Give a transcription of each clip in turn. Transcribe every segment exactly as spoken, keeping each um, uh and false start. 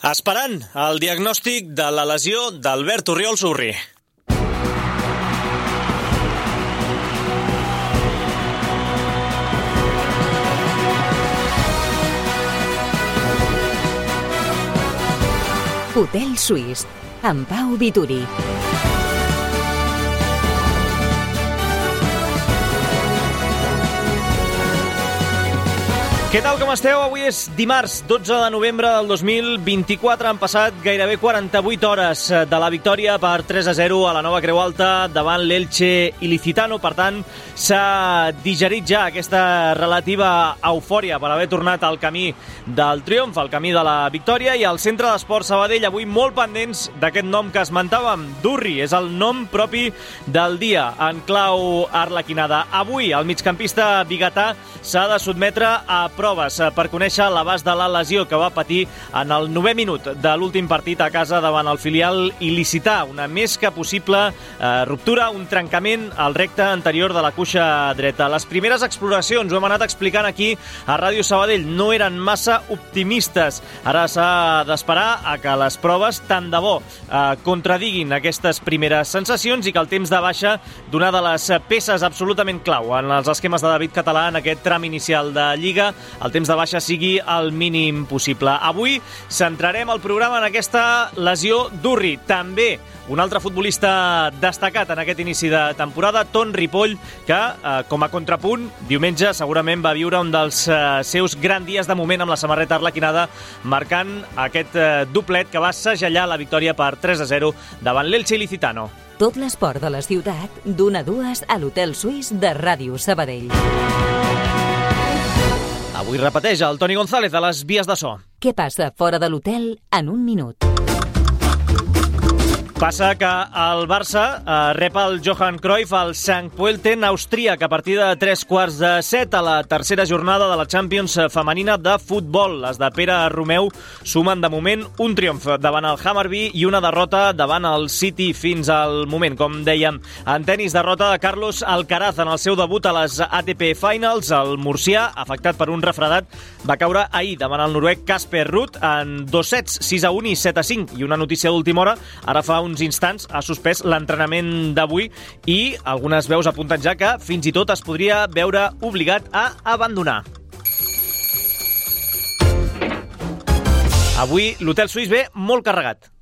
Esperant el diagnòstic de la lesió d'Albert Orriols Urri. Hotel Suís, amb Pau Vituri. Què tal, com esteu? Avui és dimarts, dotze de novembre del dos mil vint-i-quatre. Han passat gairebé quaranta-vuit hores de la victòria per tres a zero a la Nova Creu Alta davant l'Elche Ilicitano. Per tant, s'ha digerit ja aquesta relativa eufòria per haver tornat al camí del triomf, al camí de la victòria, i al Centre d'Esport Sabadell avui molt pendents d'aquest nom que esmentàvem, Durri. És el nom propi del dia en clau arlequinada. Avui el migcampista biguetà s'ha de sotmetre a proves per conèixer l'abast de la lesió que va patir en el novè minut de l'últim partit a casa davant el filial il·licità. Una més que possible eh, ruptura, un trencament al recte anterior de la cuixa dreta. Les primeres exploracions, ho hem anat explicant aquí a Ràdio Sabadell, no eren massa optimistes. Ara s'ha d'esperar a que les proves tant de bo eh, contradiguin aquestes primeres sensacions i que el temps de baixa d'una de les peces absolutament clau en els esquemes de David Català en aquest tram inicial de Lliga, el temps de baixa sigui el mínim possible. Avui centrarem el programa en aquesta lesió d'Urri. També un altre futbolista destacat en aquest inici de temporada, Ton Ripoll, que, eh, com a contrapunt, diumenge segurament va viure un dels eh, seus grans dies de moment amb la samarreta arlequinada, marcant aquest eh, doblet que va segellar la victòria per tres a zero davant l'Elche Ilicitano. Tot l'esport de la ciutat, d'una a dues a l'Hotel Suís de Ràdio Sabadell. Avui repeteix el Toni González de les vies de so. Què passa fora de l'hotel en un minut? Passa que el Barça eh, rep el Johan Cruyff al Sankt Pölten, austríac, a partir de tres quarts de set a la tercera jornada de la Champions femenina de futbol. Les de Pere Romeu sumen de moment un triomf davant el Hammarby i una derrota davant el City fins al moment. Com dèiem, en tenis, derrota de Carlos Alcaraz en el seu debut a les A T P Finals. El murcià, afectat per un refredat, va caure ahir davant el noruec Casper Ruud en dos sets, sis a un i set a cinc. I una notícia d'última hora, ara fa uns instants ha suspès l'entrenament d'avui i algunes veus apunten ja que fins i tot es podria veure obligat a abandonar. Avui l'Hotel Suís ve molt carregat.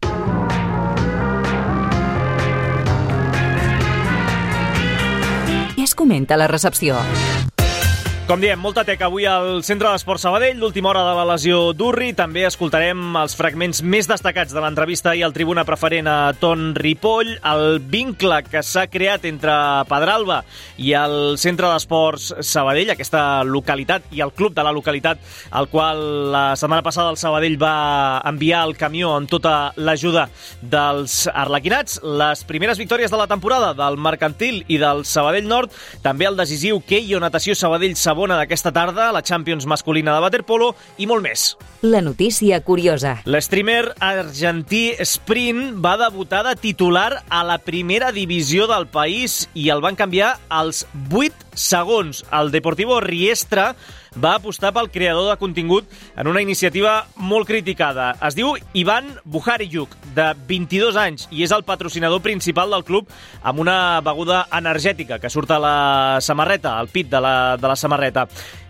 Què es comenta a la recepció? Com diem, molta teca avui al Centre d'Esport Sabadell, l'última hora de la lesió d'Urri. També escoltarem els fragments més destacats de l'entrevista i el tribuna preferent a Ton Ripoll, el vincle que s'ha creat entre Pedralba i el Centre d'Esports Sabadell, aquesta localitat i el club de la localitat, al qual la setmana passada el Sabadell va enviar el camió amb tota l'ajuda dels arlequinats. Les primeres victòries de la temporada del Mercantil i del Sabadell Nord, també el decisiu Keio Natació Sabadell Sabadell d'aquesta tarda, la Champions masculina de waterpolo i molt més. La notícia curiosa. L'streamer argentí Sprint va debutar de titular a la primera divisió del país i el van canviar als vuit segons. El Deportivo Riestra va apostar pel creador de contingut en una iniciativa molt criticada. Es diu Ivan Buhariuk, de vint-i-dos anys, i és el patrocinador principal del club, amb una beguda energètica que surt a la samarreta, al pit de la, de la samarreta.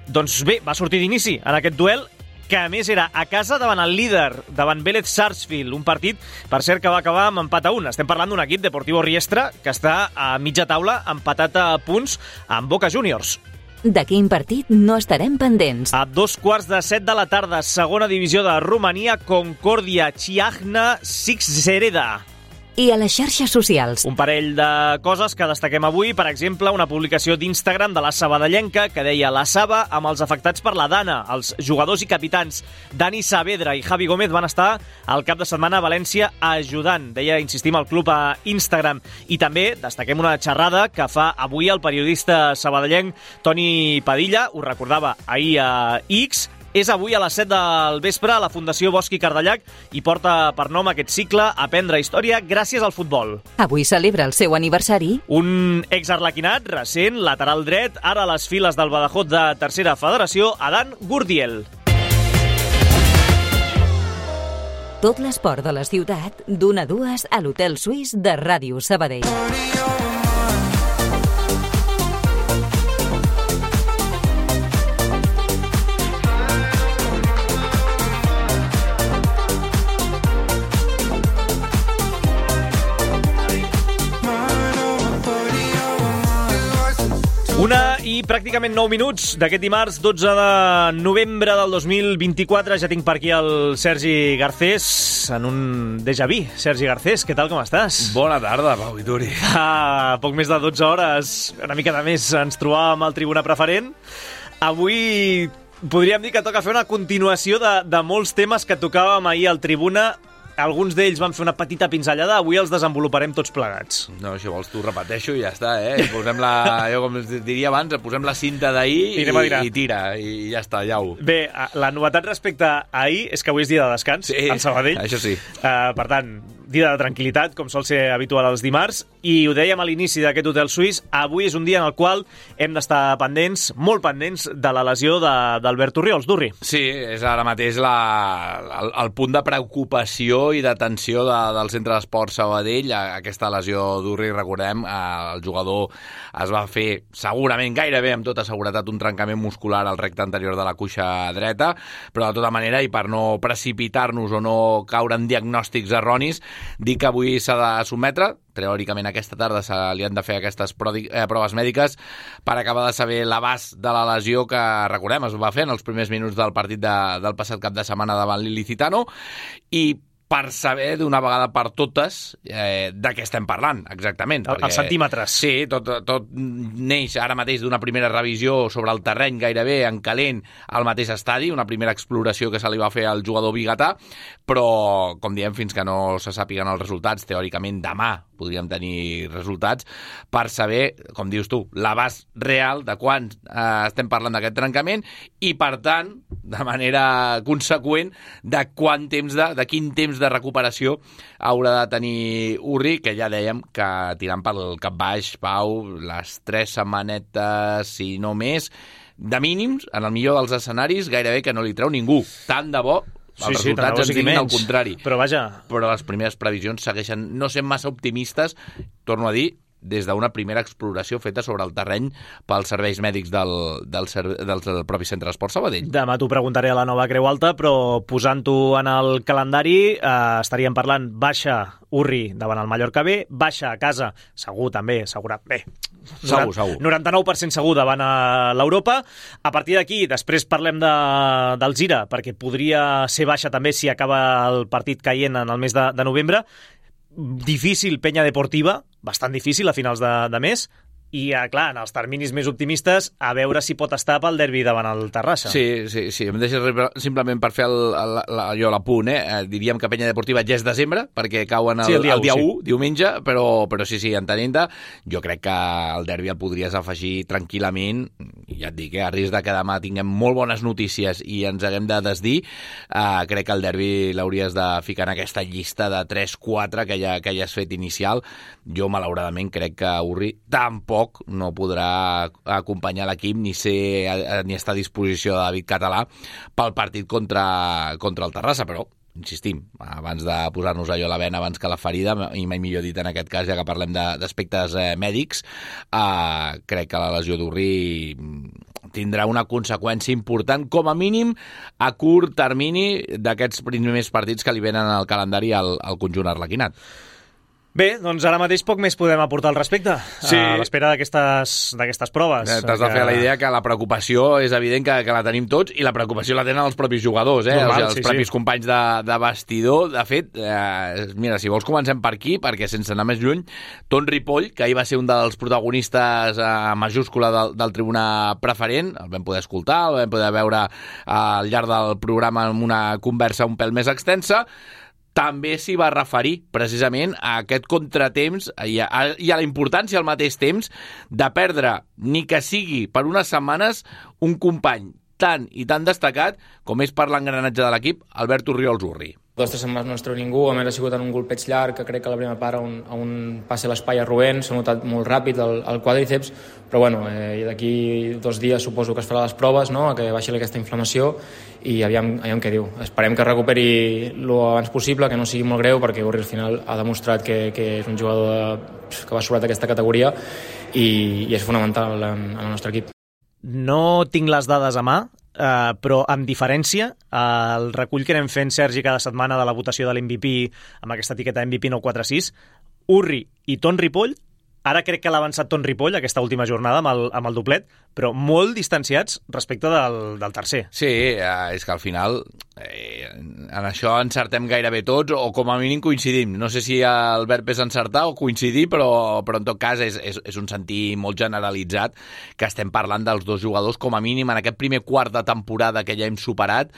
Doncs bé, va sortir d'inici en aquest duel, que a més era a casa davant el líder, davant Vélez Sarsfield, un partit, per cert, que va acabar amb empat a un. Estem parlant d'un equip, Deportivo Riestra, que està a mitja taula, empatat a punts amb Boca Juniors. De quin partit no estarem pendents? A dos quarts de set de la tarda, segona divisió de Romania, Concordia Chiajna Sixzereda. I a les xarxes socials. Un parell de coses que destaquem avui. Per exemple, una publicació d'Instagram de la sabadellenca que deia la Saba amb els afectats per la Dana. Els jugadors i capitans Dani Saavedra i Javi Gómez van estar al cap de setmana a València ajudant. Deia, insistim, al club a Instagram. I també destaquem una xerrada que fa avui el periodista sabadellenc Toni Padilla, ho recordava ahir a X. És avui a les set del vespre a la Fundació Bosch i Cardellac i porta per nom aquest cicle Aprendre Història gràcies al futbol. Avui celebra el seu aniversari. Un exarlequinat recent, lateral dret, ara a les files del Badajoz de Tercera Federació, Adán Gurdiel. Tot l'esport de la ciutat, d'una a dues a l'Hotel Suís de Ràdio Sabadell. Una i pràcticament nou minuts d'aquest dimarts, dotze de novembre del dos mil vint-i-quatre. Ja tinc per aquí el Sergi Garcés, en un déjà vu. Sergi Garcés, què tal, com estàs? Bona tarda, Pau Vituri. Fa poc més de dotze hores, una mica de més, ens trobàvem al Tribuna Preferent. Avui podríem dir que toca fer una continuació de, de molts temes que tocàvem ahir al Tribuna. Alguns d'ells van fer una petita pinzellada, avui els desenvoluparem tots plegats. No, si vols tu repeteixo i ja està, eh? I posem la, jo com diria abans, posem la cinta d'ahir i, i tira, i ja està, ja ho. Bé, la novetat respecte a ahir és que avui és dia de descans, sí, al Sabadell. Això sí. Uh, per tant, dia de tranquil·litat, com sol ser habitual els dimarts, i ho dèiem a l'inici d'aquest Hotel Suís, avui és un dia en el qual hem d'estar pendents, molt pendents, de la lesió d'Albert Orriols, Durri. Sí, és ara mateix la, el, el punt de preocupació i d'atenció de, del Centre d'Esport Sabadell. Aquesta lesió d'Urri, recordem, el jugador es va fer segurament gairebé amb tota seguretat un trencament muscular al recte anterior de la cuixa dreta, però de tota manera, i per no precipitar-nos o no caure en diagnòstics erronis, dic que avui s'ha de sotmetre. Teòricament aquesta tarda se li han de fer aquestes proves mèdiques per acabar de saber l'abast de la lesió que, recordem, es va fer en els primers minuts del partit de, del passat cap de setmana davant l'Ilicitano, i per saber d'una vegada per totes eh, de què estem parlant, exactament. El, perquè, els centímetres. Sí, tot, tot neix ara mateix d'una primera revisió sobre el terreny, gairebé en calent, al mateix estadi, una primera exploració que se li va fer al jugador biguetà, però, com diem, fins que no se sàpiguen els resultats, teòricament demà podríem tenir resultats, per saber, com dius tu, l'abast real de quan eh, estem parlant d'aquest trencament i, per tant, de manera conseqüent, de quant temps de, de quin temps de recuperació haurà de tenir Urri, que ja dèiem que tirant pel cap baix, Pau, les tres setmanetes, si no més, de mínims, en el millor dels escenaris, gairebé que no li treu ningú. Tant de bo els sí, resultats sí, ens diguin al contrari. Però vaja... Però les primeres previsions segueixen no sent massa optimistes, torno a dir, des d'una primera exploració feta sobre el terreny pels serveis mèdics del, del, del, del propi Centre d'Esport Sabadell. Demà t'ho preguntaré a la nova Creu Alta, però posant-ho en el calendari eh, estaríem parlant baixa Urri davant el Mallorca B, baixa a casa, segur també, assegurat, bé, segur, segur. noranta-nou per cent segur davant a l'Europa. A partir d'aquí, després parlem de, del Gira, perquè podria ser baixa també si acaba el partit caient en el mes de, de novembre. Difícil Penya Deportiva, bastant difícil a finals de, de mes, i, clar, en els terminis més optimistes, a veure si pot estar pel derbi davant el Terrassa. Sí, sí, sí. Em deixes simplement per fer el, el, el, jo l'apunt, eh? Diríem que Penya Deportiva ja és desembre, perquè cauen el, sí, el dia, el dia u, sí. diumenge, però, però sí, sí, entenent-te, jo crec que el derbi el podries afegir tranquil·lament, ja et dic, eh? A risc de que demà tinguem molt bones notícies i ens haguem de desdir, eh, crec que el derbi l'hauries de ficar en aquesta llista de tres quatre que ja, que ja has fet inicial. Jo, malauradament, crec que Urri tampoc no podrà acompanyar l'equip ni ser ni estar a disposició de David Català pel partit contra, contra el Terrassa, però insistim, abans de posar-nos allò a la vena abans que la ferida, i mai millor dit en aquest cas, ja que parlem d'aspectes eh, mèdics, eh, crec que la lesió d'Urri tindrà una conseqüència important, com a mínim a curt termini d'aquests primers partits que li venen al calendari al, al conjunt arlequinat. Bé, doncs ara mateix poc més podem aportar al respecte, sí. a l'espera d'aquestes proves. T'has de fer la idea que la preocupació és evident que, que la tenim tots, i la preocupació la tenen els propis jugadors, eh? Normal, els, els sí, propis sí. companys de, de vestidor. De fet, eh, mira, si vols comencem per aquí, perquè sense anar més lluny, Ton Ripoll, que ahir va ser un dels protagonistes eh, majúscula del, del Tribuna Preferent, el vam poder escoltar, el vam poder veure eh, al llarg del programa en una conversa un pèl més extensa, també s'hi va referir precisament a aquest contratemps i a, i a la importància al mateix temps de perdre, ni que sigui per unes setmanes, un company tan i tan destacat com és per l'engranatge de l'equip, Albert Orriols Urri. Dos tres setmanes no ens treu ningú, a més ha sigut en un golpeig llarg, que crec que a la primera part on, on passa l'espai a Rubén, s'ha notat molt ràpid el, el quàdriceps, però bueno, eh, d'aquí dos dies suposo que es farà les proves, no?, que baixi aquesta inflamació i aviam, aviam què diu. Esperem que recuperi lo abans possible, que no sigui molt greu, perquè Urri al final ha demostrat que, que és un jugador de, que va sobrat aquesta categoria i, i és fonamental en, en el nostre equip. No tinc les dades a mà, Uh, però amb diferència, uh, el recull que anem fent, Sergi, cada setmana de la votació de l'M V P amb aquesta etiqueta M V P nou quatre sis, Urri i Ton Ripoll, ara crec que l'ha avançat Ton Ripoll aquesta última jornada amb el, amb el doblet, però molt distanciats respecte del, del tercer. Sí, eh, és que al final eh, en això encertem gairebé tots, o com a mínim coincidim. No sé si el verb és encertar o coincidir, però, però en tot cas és, és, és un sentir molt generalitzat que estem parlant dels dos jugadors, com a mínim en aquest primer quart de temporada que ja hem superat,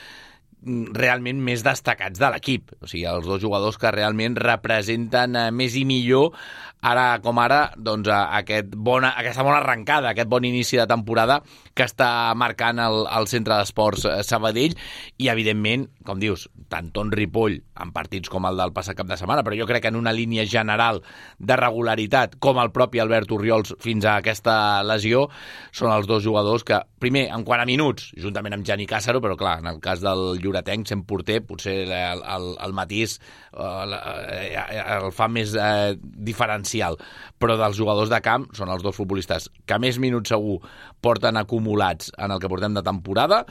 realment més destacats de l'equip. O sigui, els dos jugadors que realment representen més i millor ara com ara, doncs, aquest bona, aquesta bona arrencada, aquest bon inici de temporada que està marcant el, el Centre d'Esports Sabadell i, evidentment, com dius, tant Ton Ripoll en partits com el del passat cap de setmana, però jo crec que en una línia general de regularitat, com el propi Albert Orriols fins a aquesta lesió, són els dos jugadors que, primer, en quant a minuts, juntament amb Gianni Càssaro, però clar, en el cas del lloretenc, sent porter, potser el, el, el matís el, el fa més eh, diferencial, però dels jugadors de camp són els dos futbolistes que més minuts segur porten acumulats en el que portem de temporada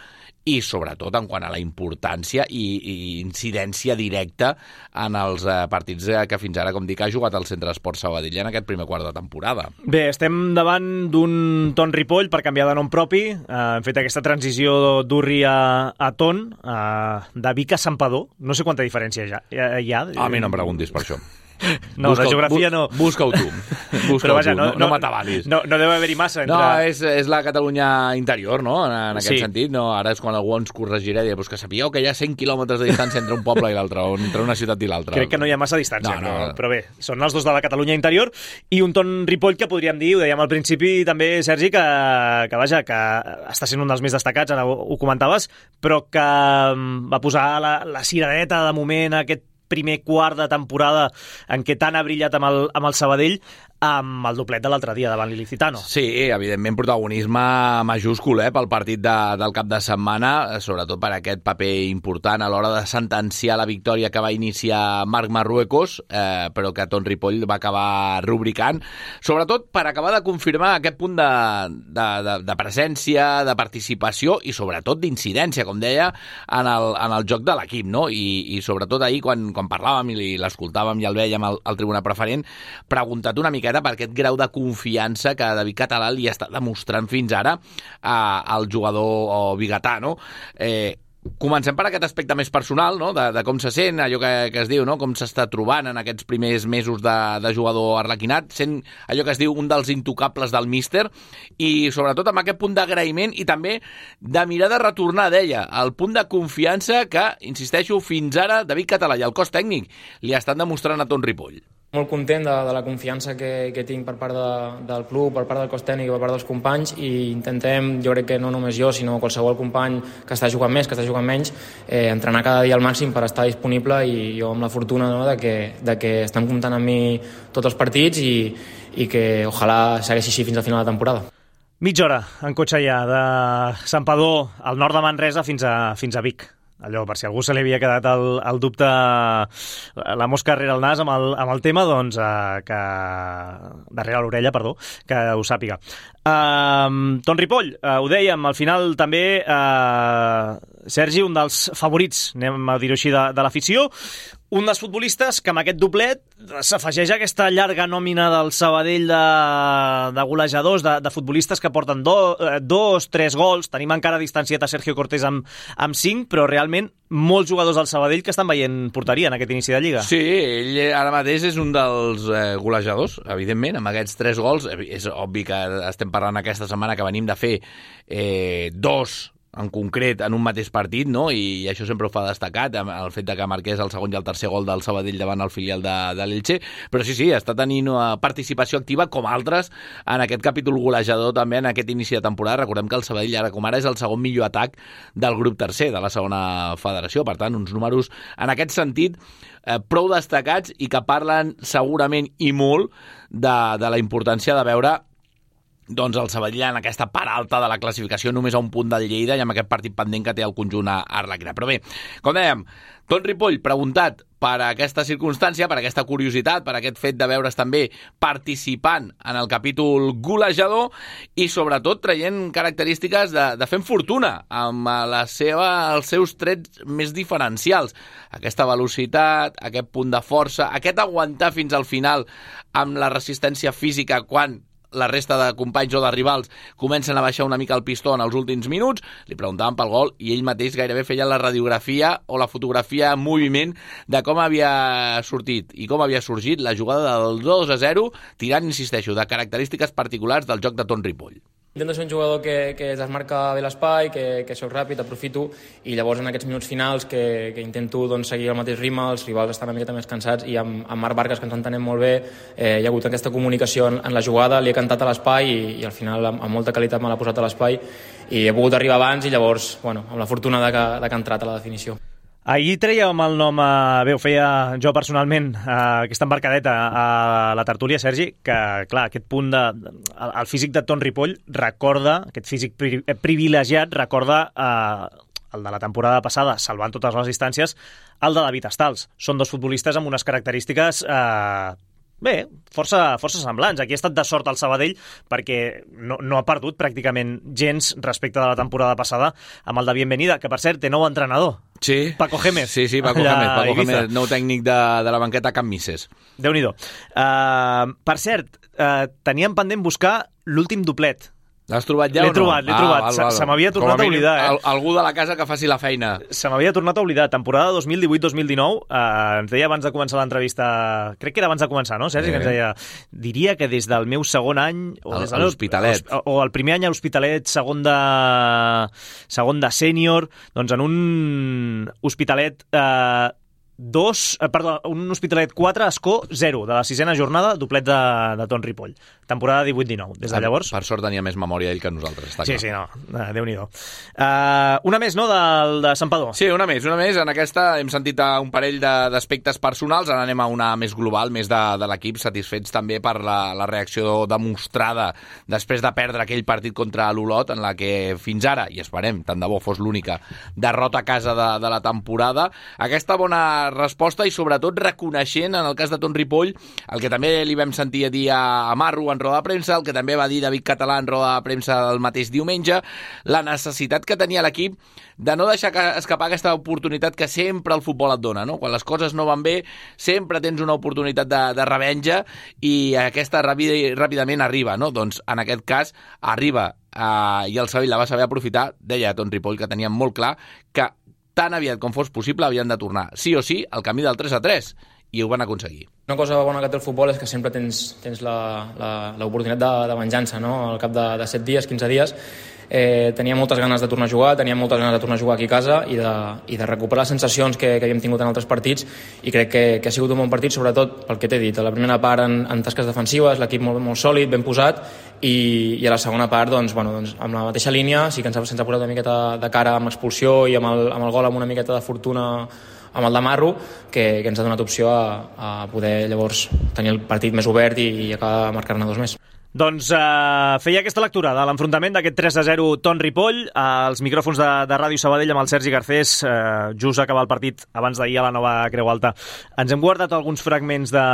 i sobretot en quant a la importància i, i incidència directa en els eh, partits que fins ara, com dic, ha jugat al Centre d'Esports Sabadell en aquest primer quart de temporada. Bé, estem davant d'un Ton Ripoll per canviar de nom propi. Eh, hem fet aquesta transició d'Urri a, a Ton, eh, de Vic a Santpedor. No sé quanta diferència hi ha. Hi ha. A mi no em preguntis per això. No, busca, de geografia no. Busca-ho tu. Busca Però vaja, tu. no, no, no, no m'atabalis. No, no deu haver-hi massa entre... No, és, és la Catalunya interior, no?, en, en aquest sí. sentit. No? Ara és quan algú ens corregirà i dir, pues que sapigueu que hi ha cent quilòmetres de distància entre un poble i l'altre, o entre una ciutat i l'altra. Crec que no hi ha massa distància, no, no, però, no. però bé, són els dos de la Catalunya interior i un Ton Ripoll que podríem dir, ho dèiem al principi també, Sergi, que, que vaja, que està sent un dels més destacats, ara ho, ho comentaves, però que va posar la, la ciradeta de moment a aquest primer quart de temporada en què tant ha brillat amb el, amb el Sabadell, amb el doblet de l'altre dia davant l'Ilicitano. Sí, evidentment protagonisme majúscul eh, pel partit de, del cap de setmana, sobretot per aquest paper important a l'hora de sentenciar la victòria que va iniciar Marc Marruecos, eh, però que Ton Ripoll va acabar rubricant, sobretot per acabar de confirmar aquest punt de, de, de, de presència, de participació i sobretot d'incidència, com deia, en el, en el joc de l'equip, no? I, i sobretot ahir, quan, quan parlàvem i l'escoltàvem i el vèiem al, al tribuna preferent, preguntat una mica per aquest grau de confiança que David Català li està demostrant fins ara eh, al jugador biguetà, no? Eh, comencem per aquest aspecte més personal, no?, de, de com se sent, allò que, que es diu, no?, com s'està trobant en aquests primers mesos de, de jugador arlequinat, sent allò que es diu un dels intocables del míster, i sobretot amb aquest punt d'agraïment i també de mirar de retornar, deia, el punt de confiança que, insisteixo, fins ara David Català i el cos tècnic li estan demostrant a Ton Ripoll. Molt content de, de la confiança que, que tinc per part de, del club, per part del cos tècnic i per part dels companys, i intentem, jo crec que no només jo, sinó qualsevol company que està jugant més, que està jugant menys, eh, entrenar cada dia al màxim per estar disponible, i jo amb la fortuna, no?, de, que, de que estan comptant amb mi tots els partits i, i que ojalà segueixi així fins al final de la temporada. Mitja hora en cotxe ja, de Santpedor, al nord de Manresa, fins a, fins a Vic. Allò, per si algú se li havia quedat el, el dubte, la mosca darrere el nas amb el, amb el tema, doncs eh, que darrere l'orella, perdó, que ho sàpiga. Uh, Ton Ripoll, uh, ho dèiem, al final també uh, Sergi, un dels favorits, anem a dir-ho així, de, de l'afició, un dels futbolistes que amb aquest doblet s'afegeix a aquesta llarga nòmina del Sabadell de, de golejadors, de, de futbolistes que porten do, dos, tres gols. Tenim encara distanciat a Sergio Cortés amb, amb cinc, però realment molts jugadors del Sabadell que estan veient porteria en aquest inici de Lliga. Sí, ell ara mateix és un dels eh, golejadors, evidentment, amb aquests tres gols. És obvi que estem parlant aquesta setmana que venim de fer eh, dos en concret en un mateix partit, no? I això sempre ho fa destacat, el fet de que marqués el segon i el tercer gol del Sabadell davant el filial de, de l'Elche, però sí, sí, està tenint una participació activa com altres en aquest capítol golejador també en aquest inici de temporada. Recordem que el Sabadell ara com ara és el segon millor atac del grup tercer de la segona federació, per tant, uns números en aquest sentit eh, prou destacats i que parlen segurament i molt de, de la importància de veure doncs el Sabadell en aquesta part alta de la classificació, només a un punt del Lleida i amb aquest partit pendent que té el conjunt a Arlequina. Però bé, com dèiem, Ton Ripoll preguntat per aquesta circumstància, per aquesta curiositat, per aquest fet de veure's també participant en el capítol golejador i sobretot traient característiques de, de fent fortuna amb la seva, els seus trets més diferencials. Aquesta velocitat, aquest punt de força, aquest aguantar fins al final amb la resistència física quan la resta de companys o de rivals comencen a baixar una mica el pistó en els últims minuts. Li preguntaven pel gol i ell mateix gairebé feia la radiografia o la fotografia en moviment de com havia sortit i com havia sorgit la jugada del dos a zero, tirant, insisteixo, de característiques particulars del joc de Ton Ripoll. Intento ser un jugador que, que desmarca bé l'espai, que, que soc ràpid, aprofito, i llavors en aquests minuts finals que, que intento doncs, seguir el mateix ritme, els rivals estan una miqueta més cansats i amb, amb Marc Vargas, que ens entenem molt bé, eh, hi ha hagut aquesta comunicació en, en la jugada, li he cantat a l'espai i, i al final amb, amb molta qualitat me l'ha posat a l'espai i he pogut arribar abans i llavors, bueno, amb la fortuna de que, de que ha entrat a la definició. Ahir trèiem el nom, eh, bé, ho feia jo personalment, eh, aquesta embarcadeta a la tertúlia, Sergi, que, clar, aquest punt de... El, el físic de Ton Ripoll recorda, aquest físic pri, privilegiat, recorda eh, el de la temporada passada, salvant totes les distàncies, el de David Estals. Són dos futbolistes amb unes característiques... Eh, Bé, força, força semblants. Aquí ha estat de sort el Sabadell perquè no, no ha perdut pràcticament gens respecte de la temporada passada amb el de Bienvenida, que per cert té nou entrenador. Sí. Paco Gémez. Sí, sí, Paco Gémez, Paco Gémez, nou tècnic de, de la banqueta Can Misses. Déu-n'hi-do. Uh, per cert, uh, teníem pendent buscar l'últim duplet. L'has trobat ja o no? L'he trobat, l'he ah, trobat. Val, se, val. se m'havia tornat a, a oblidar. Eh? Al, algú de la casa que faci la feina. Se m'havia tornat a oblidar. Temporada dos mil divuit dos mil dinou, eh, ens deia abans de començar l'entrevista, crec que era abans de començar, no, Sergi? Eh. Que ens deia, diria que des del meu segon any... O el, des del l'Hospitalet. O, o el primer any a l'Hospitalet, segon de, segon de sènior, doncs en un Hospitalet... Eh, dos, eh, perdó, un Hospitalet quatre, Escó zero, de la sisena jornada, doblet de, de Ton Ripoll. Temporada divuit dinou. Des de llavors... Per sort tenia més memòria ell que nosaltres, està sí, clar. Sí, sí, no, Déu-n'hi-do. Uh, una més, no, del, de Santpedor? Sí, una més, una més. En aquesta hem sentit un parell d'aspectes personals, ara anem a una més global, més de, de l'equip, satisfets també per la, la reacció demostrada després de perdre aquell partit contra l'Olot, en la que fins ara, i esperem, tant de bo fos l'única derrota a casa de, de la temporada, aquesta bona resposta i sobretot reconeixent en el cas de Ton Ripoll el que també li vam sentir a dir a Marro en roda de premsa, el que també va dir David Català en roda de premsa el mateix diumenge, la necessitat que tenia l'equip de no deixar escapar aquesta oportunitat que sempre el futbol et dona, no? Quan les coses no van bé sempre tens una oportunitat de, de revenja i aquesta ràpid, ràpidament arriba, no? Doncs en aquest cas arriba eh, i el Sabadell la va saber aprofitar, deia Ton Ripoll que tenia molt clar que tan aviat com fos possible havien de tornar, sí o sí, al camí del tres a tres, i ho van aconseguir. Una cosa bona que té el futbol és que sempre tens, tens l'oportunitat de, de venjança, no? Al cap de, de set dies, quinze dies, eh, tenia moltes ganes de tornar a jugar, tenia moltes ganes de tornar a jugar aquí a casa i de, i de recuperar les sensacions que, que havíem tingut en altres partits, i crec que, que ha sigut un bon partit, sobretot pel que t'he dit. A la primera part en, en tasques defensives, l'equip molt, molt sòlid, ben posat, i, i a la segona part, doncs, bueno, doncs, amb la mateixa línia, sí que ens ha, ens ha posat una miqueta de cara amb l'expulsió i amb el, amb el gol amb una miqueta de fortuna amb el de Marro, que, que ens ha donat opció a, a poder llavors tenir el partit més obert i, i acabar de marcar-ne dos més. Doncs eh, feia aquesta lectura de l'enfrontament d'aquest tres a zero Ton Ripoll als micròfons de, de Ràdio Sabadell amb el Sergi Garcés, eh, just a acabar el partit abans d'ahir a la nova Creu Alta. Ens hem guardat alguns fragments de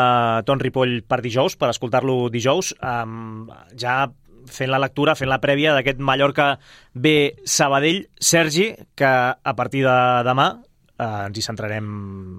Ton Ripoll per dijous, per escoltar-lo dijous, eh, ja fent la lectura, fent la prèvia d'aquest Mallorca B Sabadell. Sergi, que a partir de demà Uh, ens hi centrarem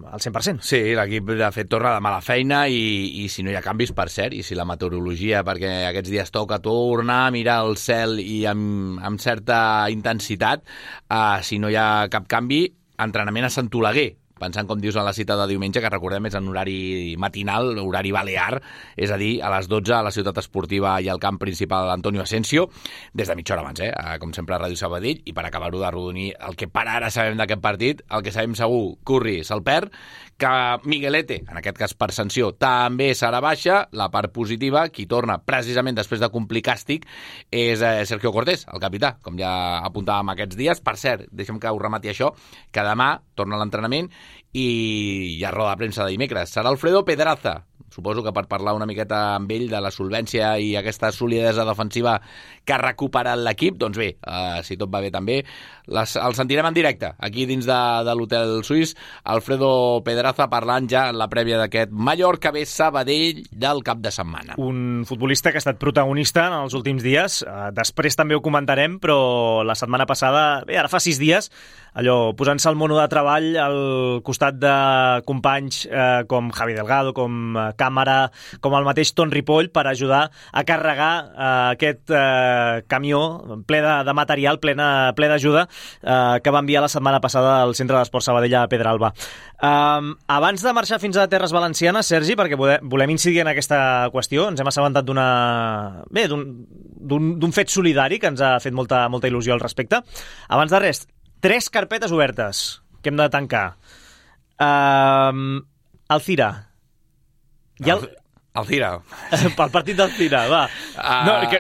al cent per cent. Sí, l'equip de fet torna de mala feina i, i si no hi ha canvis, per cert, i si la meteorologia, perquè aquests dies toca tornar a mirar el cel i amb, amb certa intensitat, uh, si no hi ha cap canvi, entrenament a Sant Oleguer, pensant, com dius, en la cita de diumenge, que recordem és en horari matinal, horari balear, és a dir, a les dotze a la ciutat esportiva i al camp principal Antonio Asensio, des de mitja hora abans, eh? Com sempre a Ràdio Sabadell, i per acabar-ho de rodonir el que per ara sabem d'aquest partit, el que sabem segur, Curri se'l perd, que Miguelete, en aquest cas per sanció, també serà baixa. La part positiva, qui torna precisament després de complir càstig, és eh, Sergio Cortés, el capità, com ja apuntàvem aquests dies. Per cert, deixem que ho remati això, que demà torna a l'entrenament i hi ha roda de premsa de dimecres. Serà Alfredo Pedraza, suposo que per parlar una miqueta amb ell de la solvència i aquesta solidesa defensiva que ha recuperat l'equip. Doncs bé, eh, si tot va bé també, les, el sentirem en directe aquí dins de, de l'Hotel Suís, Alfredo Pedraza parlant ja en la prèvia d'aquest Mallorca B Sabadell del cap de setmana. Un futbolista que ha estat protagonista en els últims dies, eh, després també ho comentarem, però la setmana passada, bé, ara fa sis dies, allò, posant-se el mono de treball al costat de companys eh, com Javi Delgado, com eh, Càmera, com el mateix Ton Ripoll, per ajudar a carregar eh, aquest eh, camió ple de, de material, plena, ple d'ajuda, eh, que va enviar la setmana passada al Centre d'Esport Sabadell a Pedralba. Eh, abans de marxar fins a Terres Valencianes, Sergi, perquè volem incidir en aquesta qüestió, ens hem assabentat d'una... bé, d'un fet solidari que ens ha fet molta, molta il·lusió al respecte. Abans de res, tres carpetes obertes que hem de tancar. Uh, Alcira. Hi ha el... Alcira. Pel partit d'Alcira, va. Uh, no, que,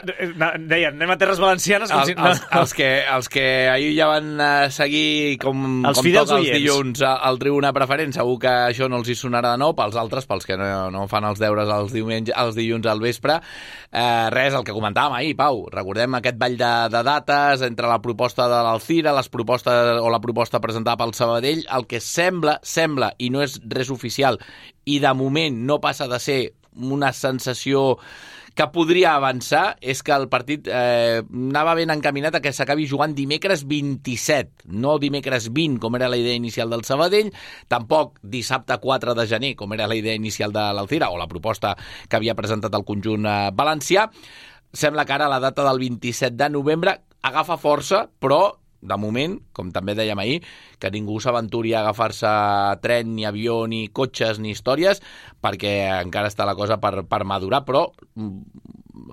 deien, anem a Terres Valencianes... Com el, si, no. els, els, que, els que ahir ja van uh, seguir com, els com toca els oients. dilluns al Tribuna Preferent, segur que això no els hi sonarà de nou. Pels altres, pels que no, no fan els deures els, diumenge, els dilluns al vespre, uh, res, el que comentàvem ahir, Pau. Recordem aquest ball de, de dates entre la proposta de l'Alcira, les propostes o la proposta presentada pel Sabadell, el que sembla, sembla, i no és res oficial, i de moment no passa de ser una sensació que podria avançar, és que el partit eh, anava ben encaminat a que s'acabi jugant dimecres vint-i-set, no dimecres vint, com era la idea inicial del Sabadell, tampoc dissabte quatre de gener, com era la idea inicial de l'Alcira, o la proposta que havia presentat el conjunt eh, valencià. Sembla que ara la data del vint-i-set de novembre agafa força, però de moment, com també dèiem ahir, que ningú s'aventuri a agafar-se tren, ni avió, ni cotxes, ni històries, perquè encara està la cosa per, per madurar, però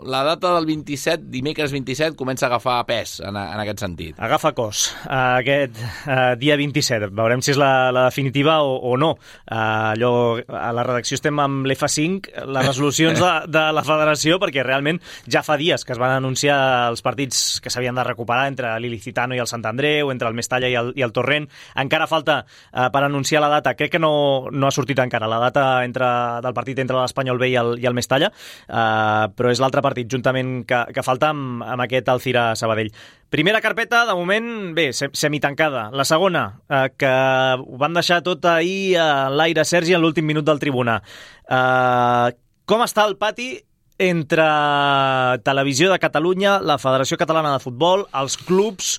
la data del vint-i-set, dimecres vint-i-set, comença a agafar pes en, en aquest sentit. Agafa cos, uh, aquest uh, dia vint-i-set. Veurem si és la, la definitiva o, o no. Uh, allò, a la redacció estem amb l'F cinc, les resolucions de, de la federació, perquè realment ja fa dies que es van anunciar els partits que s'havien de recuperar entre l'Ilicitano i el Sant Andreu, entre el Mestalla i el, i el Torrent. Encara falta uh, per anunciar la data. Crec que no, no ha sortit encara la data entre, del partit entre l'Espanyol B i el, i el Mestalla, uh, però és l'altre partit juntament que, que falta amb, amb aquest Alcira Sabadell. Primera carpeta, de moment, bé, semitancada. La segona, eh, que ho van deixar tot ahir a l'aire, Sergi, en l'últim minut del Tribuna. Eh, com està el pati entre Televisió de Catalunya, la Federació Catalana de Futbol, els clubs,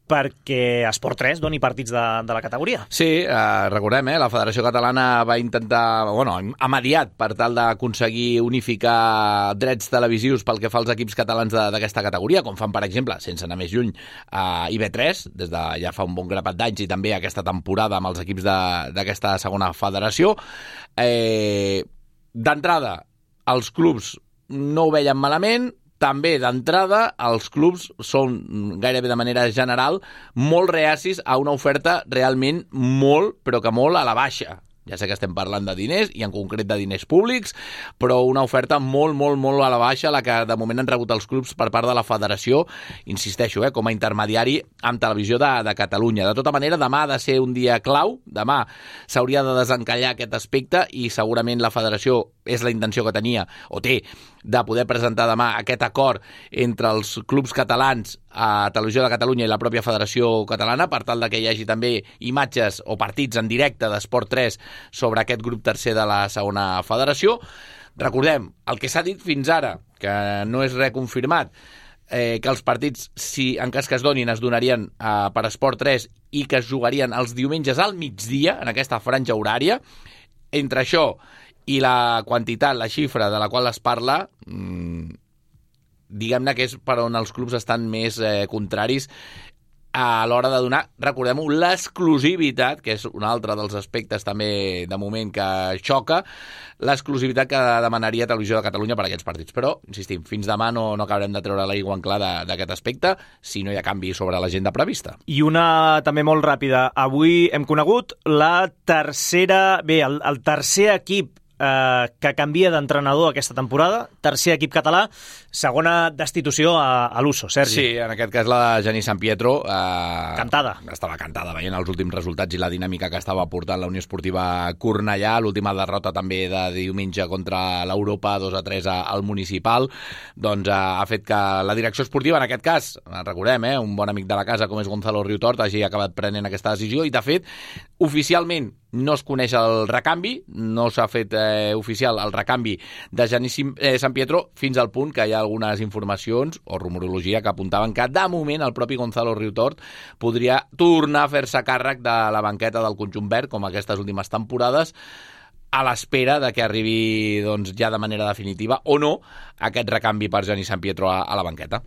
perquè Esport tres doni partits de, de la categoria? Sí, eh, recordem, eh, la Federació Catalana va intentar, bueno, ha mediat per tal d'aconseguir unificar drets televisius pel que fa als equips catalans d'aquesta categoria, com fan, per exemple, sense anar més lluny, a I B tres, des de ja fa un bon grapat d'anys, i també aquesta temporada amb els equips d'aquesta segona federació. Eh, D'entrada, els clubs no ho veien malament. També, d'entrada, els clubs són, gairebé de manera general, molt reacis a una oferta realment molt, però que molt a la baixa. Ja sé que estem parlant de diners, i en concret de diners públics, però una oferta molt, molt, molt a la baixa, la que de moment han rebut els clubs per part de la federació, insisteixo, eh, com a intermediari amb Televisió de, de Catalunya. De tota manera, demà ha de ser un dia clau, demà s'hauria de desencallar aquest aspecte, i segurament la federació és la intenció que tenia, o té, de poder presentar demà aquest acord entre els clubs catalans a Televisió de Catalunya i la pròpia Federació Catalana, per tal de que hi hagi també imatges o partits en directe d'Esport tres sobre aquest grup tercer de la segona federació. Recordem, el que s'ha dit fins ara, que no és res confirmat, eh, que els partits, si en cas que es donin, es donarien eh, per Esport tres i que es jugarien els diumenges al migdia, en aquesta franja horària. Entre això i la quantitat, la xifra de la qual es parla, mmm, diguem-ne que és per on els clubs estan més eh, contraris a l'hora de donar, recordem-ho, l'exclusivitat, que és un altre dels aspectes també de moment que xoca, l'exclusivitat que demanaria Televisió de Catalunya per a aquests partits. Però, insistim, fins demà no, no acabarem de treure l'aigua en clar d'aquest aspecte si no hi ha canvi sobre l'agenda prevista. I una també molt ràpida. Avui hem conegut la tercera... Bé, el, el tercer equip eh, que canvia d'entrenador aquesta temporada, tercer equip català, segona destitució a, a l'Uso, Sergi. Sí, en aquest cas la de Genís San Pietro. Eh, cantada. Estava cantada, veient els últims resultats i la dinàmica que estava portant la Unió Esportiva Cornellà, l'última derrota també de diumenge contra l'Europa, dos a tres al Municipal, doncs eh, ha fet que la direcció esportiva, en aquest cas, recordem, eh, un bon amic de la casa com és Gonzalo Riutort, hagi acabat prenent aquesta decisió i, de fet, oficialment no es coneix el recanvi, no s'ha fet eh, oficial el recanvi de Genís eh, San Pietro, fins al punt que hi ha algunes informacions o rumorologia que apuntaven que de moment el propi Gonzalo Riutort podria tornar a fer-se càrrec de la banqueta del conjunt verd, com aquestes últimes temporades, a l'espera de que arribi doncs, ja de manera definitiva o no aquest recanvi per Genís San Pietro a, a la banqueta.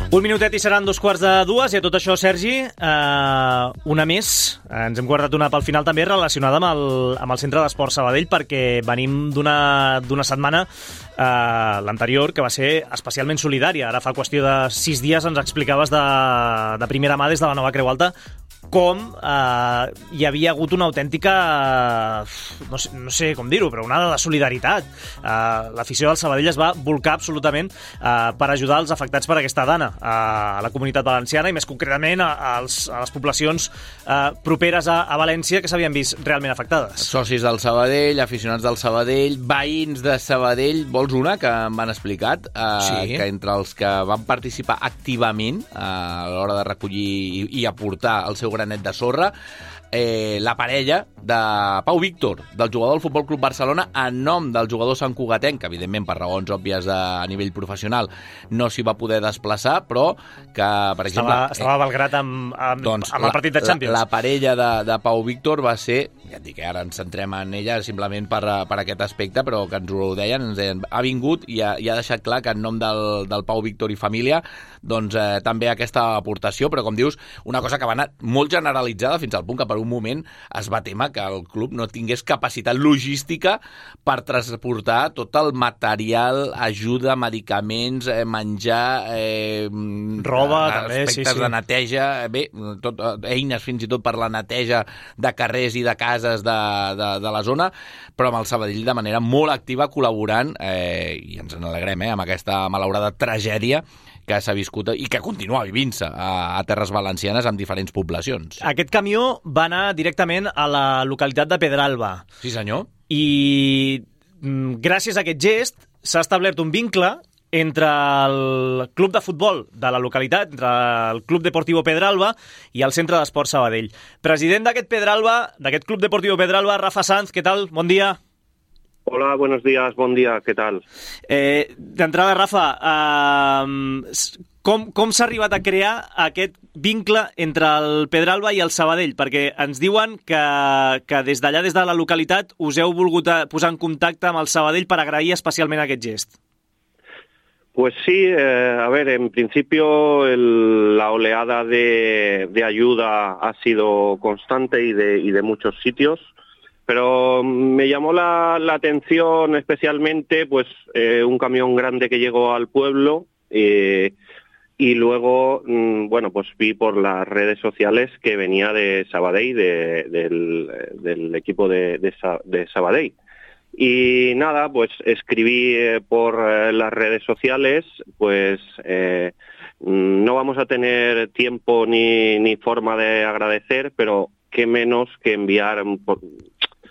Un minutet i seran dos quarts de dues, i a tot això, Sergi, eh, una més. Ens hem guardat una pel final també relacionada amb el, amb el Centre d'Esport Sabadell, perquè venim d'una d'una setmana, eh, l'anterior, que va ser especialment solidària. Ara fa qüestió de sis dies ens explicaves de, de primera mà des de la Nova Creu Alta com eh, hi havia hagut una autèntica, eh, no, sé, no sé com dir-ho, però una de solidaritat. Eh, l'afició del Sabadell es va volcar absolutament eh, per ajudar els afectats per aquesta dana a la comunitat valenciana i més concretament a, a, els, a les poblacions eh, properes a, a València que s'havien vist realment afectades. Socis del Sabadell, aficionats del Sabadell, veïns de Sabadell, vols una que m'han explicat? Eh, sí. Que entre els que van participar activament eh, a l'hora de recollir i, i aportar el seu granet de sorra, Eh, la parella de Pau Víctor, del jugador del Futbol Club Barcelona, en nom del jugador santcugatenc, que evidentment per raons òbvies de, a nivell professional no s'hi va poder desplaçar, però que, per exemple... Estava, estava a Belgrat amb, amb, doncs, amb el partit de Champions. La, la parella de, de Pau Víctor va ser, ja et dic que ara ens centrem en ella simplement per, per aquest aspecte, però que ens ho deien, ens deien, ha vingut i ha, i ha deixat clar que en nom del, del Pau Víctor i família, doncs eh, també aquesta aportació, però com dius, una cosa que va anar molt generalitzada fins al punt que per un moment es va témer que el club no tingués capacitat logística per transportar tot el material, ajuda, medicaments, eh, menjar, eh, roba, eh, també, aspectes sí, sí. de neteja, bé, tot, eines fins i tot per la neteja de carrers i de cases de, de, de la zona, però amb el Sabadell de manera molt activa col·laborant, eh, i ens n'alegrem, eh, amb aquesta malaurada tragèdia que s'ha viscut i que continua vivint-se a, a terres valencianes amb diferents poblacions. Aquest camió va anar directament a la localitat de Pedralba. Sí, senyor. I mm, gràcies a aquest gest s'ha establert un vincle entre el club de futbol de la localitat, entre el Club Deportivo Pedralba i el Centre d'Esport Sabadell. President d'aquest Pedralba, d'aquest Club Deportivo Pedralba, Rafa Sanz, què tal? Bon dia. Hola, buenos días, bon dia, què tal? Eh, D'entrada, Rafa, eh, com, com s'ha arribat a crear aquest vincle entre el Pedralba i el Sabadell? Perquè ens diuen que, que des d'allà, des de la localitat, us heu volgut posar en contacte amb el Sabadell per agrair especialment aquest gest. Pues sí, eh, a ver, en principio el, la oleada de, de ayuda ha sido constante y de, y de muchos sitios. Pero me llamó la, la atención especialmente pues eh, un camión grande que llegó al pueblo eh, y luego, mm, bueno, pues vi por las redes sociales que venía de Sabadell, de, del, del equipo de, de, de Sabadell. Y nada, pues escribí eh, por eh, las redes sociales, pues eh, no vamos a tener tiempo ni, ni forma de agradecer, pero qué menos que enviar... Por,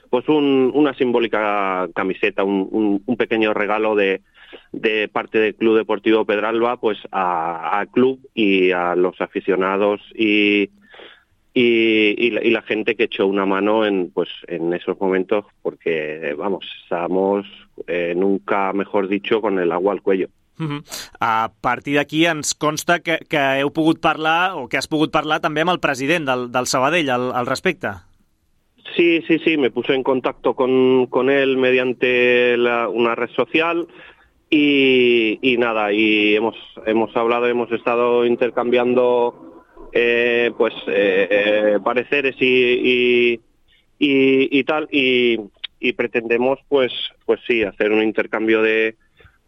pues un, una simbólica camiseta, un, un, un pequeño regalo de, de parte del Club Deportivo Pedralba pues al club y a los aficionados y, y, y, la, y la gente que echó una mano en, pues, en esos momentos porque, vamos, estábamos, eh, nunca mejor dicho, con el agua al cuello. Uh-huh. A partir d'aquí ens consta que, que heu pogut parlar o que has pogut parlar també amb el president del, del Sabadell al, al respecte. Sí, sí, sí, me puse en contacto con, con él mediante la, una red social y, y nada, y hemos, hemos hablado, hemos estado intercambiando eh, pues eh, eh, pareceres y, y, y, y tal, y, y pretendemos pues, pues sí, hacer un intercambio de,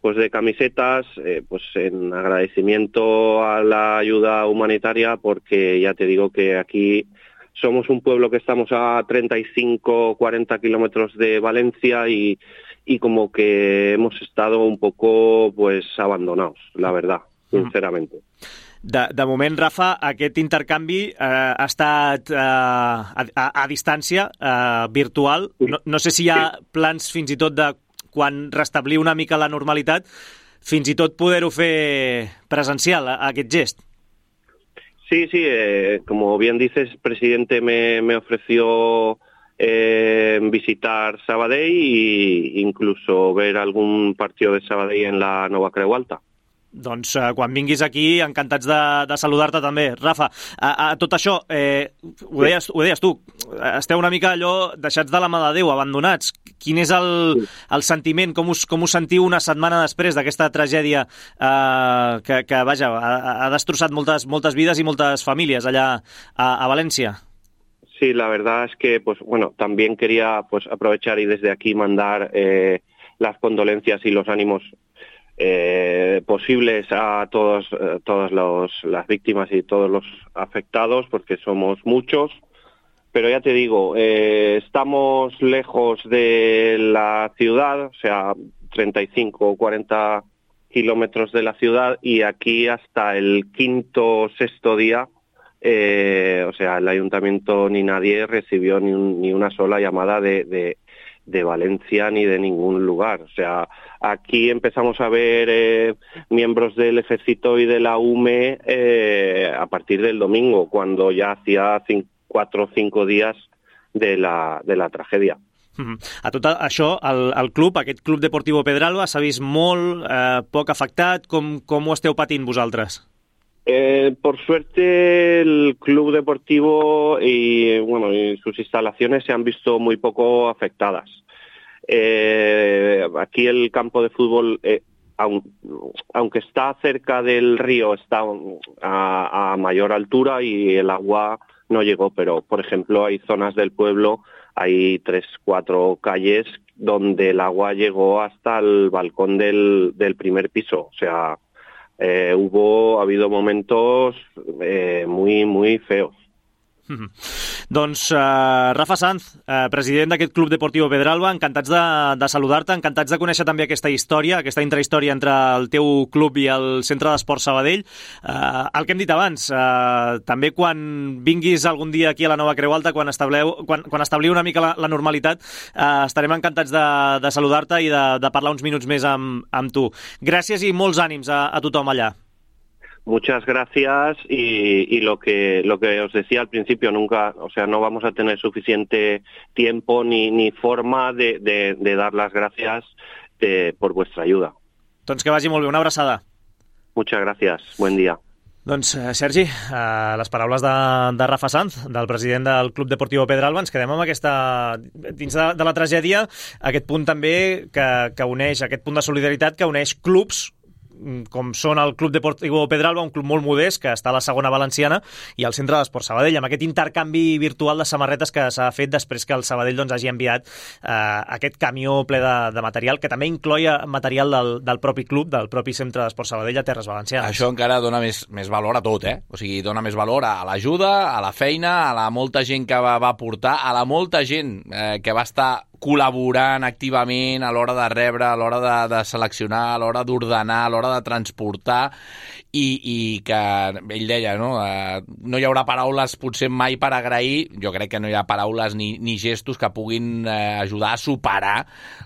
pues de camisetas, eh, pues en agradecimiento a la ayuda humanitaria, porque ya te digo que aquí somos un pueblo que estamos a treinta y cinco, cuarenta kilómetros de Valencia y, y como que hemos estado un poco pues abandonados, la verdad, sinceramente. De, de moment, Rafa, aquest intercanvi eh, ha estat eh, a, a, a distància, eh, virtual. No, no sé si hi ha plans fins i tot de quan restablir una mica la normalitat, fins i tot poder-ho fer presencial, aquest gest. Sí, sí, eh, como bien dices, el presidente me, me ofreció eh, visitar Sabadell e incluso ver algún partido de Sabadell en la Nova Creu Alta. Doncs eh, quan vinguis aquí, encantats de, de saludar-te també. Rafa, a, a tot això, eh, ho, deies, ho deies tu, esteu una mica allò deixats de la mà de Déu, abandonats. Quin és el, el sentiment, com us, com us sentiu una setmana després d'aquesta tragèdia eh, que, que vaja, ha, ha destrossat moltes, moltes vides i moltes famílies allà a, a València? Sí, la verdad es que, pues bueno, también quería pues aprovechar y desde aquí mandar eh, las condolencias y los ánimos Eh, posibles a todos, eh, todas los, las víctimas y todos los afectados, porque somos muchos, pero ya te digo, eh, estamos lejos de la ciudad, o sea, treinta y cinco o cuarenta kilómetros de la ciudad, y aquí hasta el quinto o sexto día, eh, o sea, el ayuntamiento ni nadie recibió ni, un, ni una sola llamada de, de de Valencia ni de ningún lugar. O sea, aquí empezamos a ver eh, miembros del ejército y de la U M E eh, a partir del domingo, cuando ya hacía cinco, cuatro o cinco días de la, de la tragedia. A tot això, el, el club, aquest Club Deportivo Pedralba, s'ha vist molt, eh, poc afectat. Com, com ho esteu patint vosaltres? Eh, por suerte el club deportivo y bueno y sus instalaciones se han visto muy poco afectadas. Eh, aquí el campo de fútbol, eh, aun, aunque está cerca del río, está a, a mayor altura y el agua no llegó, pero por ejemplo hay zonas del pueblo, hay tres, cuatro calles donde el agua llegó hasta el balcón del, del primer piso, o sea, Eh, hubo, ha habido momentos eh, muy, muy feos. Mm-hmm. Doncs uh, Rafa Sanz, uh, president d'aquest Club Deportivo Pedralba, encantats de, de saludar-te, encantats de conèixer també aquesta història, aquesta intrahistòria entre el teu club i el Centre d'Esports Sabadell. Uh, el que hem dit abans, uh, també quan vinguis algun dia aquí a la Nova Creu Alta, quan, estableu, quan, quan establiu una mica la, la normalitat, uh, estarem encantats de, de saludar-te i de, de parlar uns minuts més amb, amb tu. Gràcies i molts ànims a, a tothom allà. Muchas gracias y, y lo que lo que os decía al principio, nunca, o sea, no vamos a tener suficiente tiempo ni, ni forma de, de, de dar las gracias de, por vuestra ayuda. Doncs que vagi molt bé, una abraçada. Muchas gracias, buen día. Doncs, Sergi, eh, les paraules de, de Rafa Sanz, del president del Club Deportivo Pedralba, ens quedem amb aquesta, dins de, de la tragèdia, aquest punt també que, que uneix, aquest punt de solidaritat que uneix clubs com són el Club Deportivo Pedralba, un club molt modest que està a la segona valenciana, i el Centre d'Esports Sabadell, amb aquest intercanvi virtual de samarretes que s'ha fet després que el Sabadell doncs, hagi enviat eh, aquest camió ple de, de material, que també incloia material del, del propi club, del propi Centre d'Esports Sabadell a Terres Valencianes. Això encara dona més, més valor a tot, eh? O sigui, dona més valor a l'ajuda, a la feina, a la molta gent que va, va portar, a la molta gent eh, que va estar col·laborant activament a l'hora de rebre, a l'hora de, de seleccionar, a l'hora d'ordenar, a l'hora de transportar, i, i que ell deia, no? Eh, no hi haurà paraules potser mai per agrair, jo crec que no hi ha paraules ni, ni gestos que puguin eh, ajudar a superar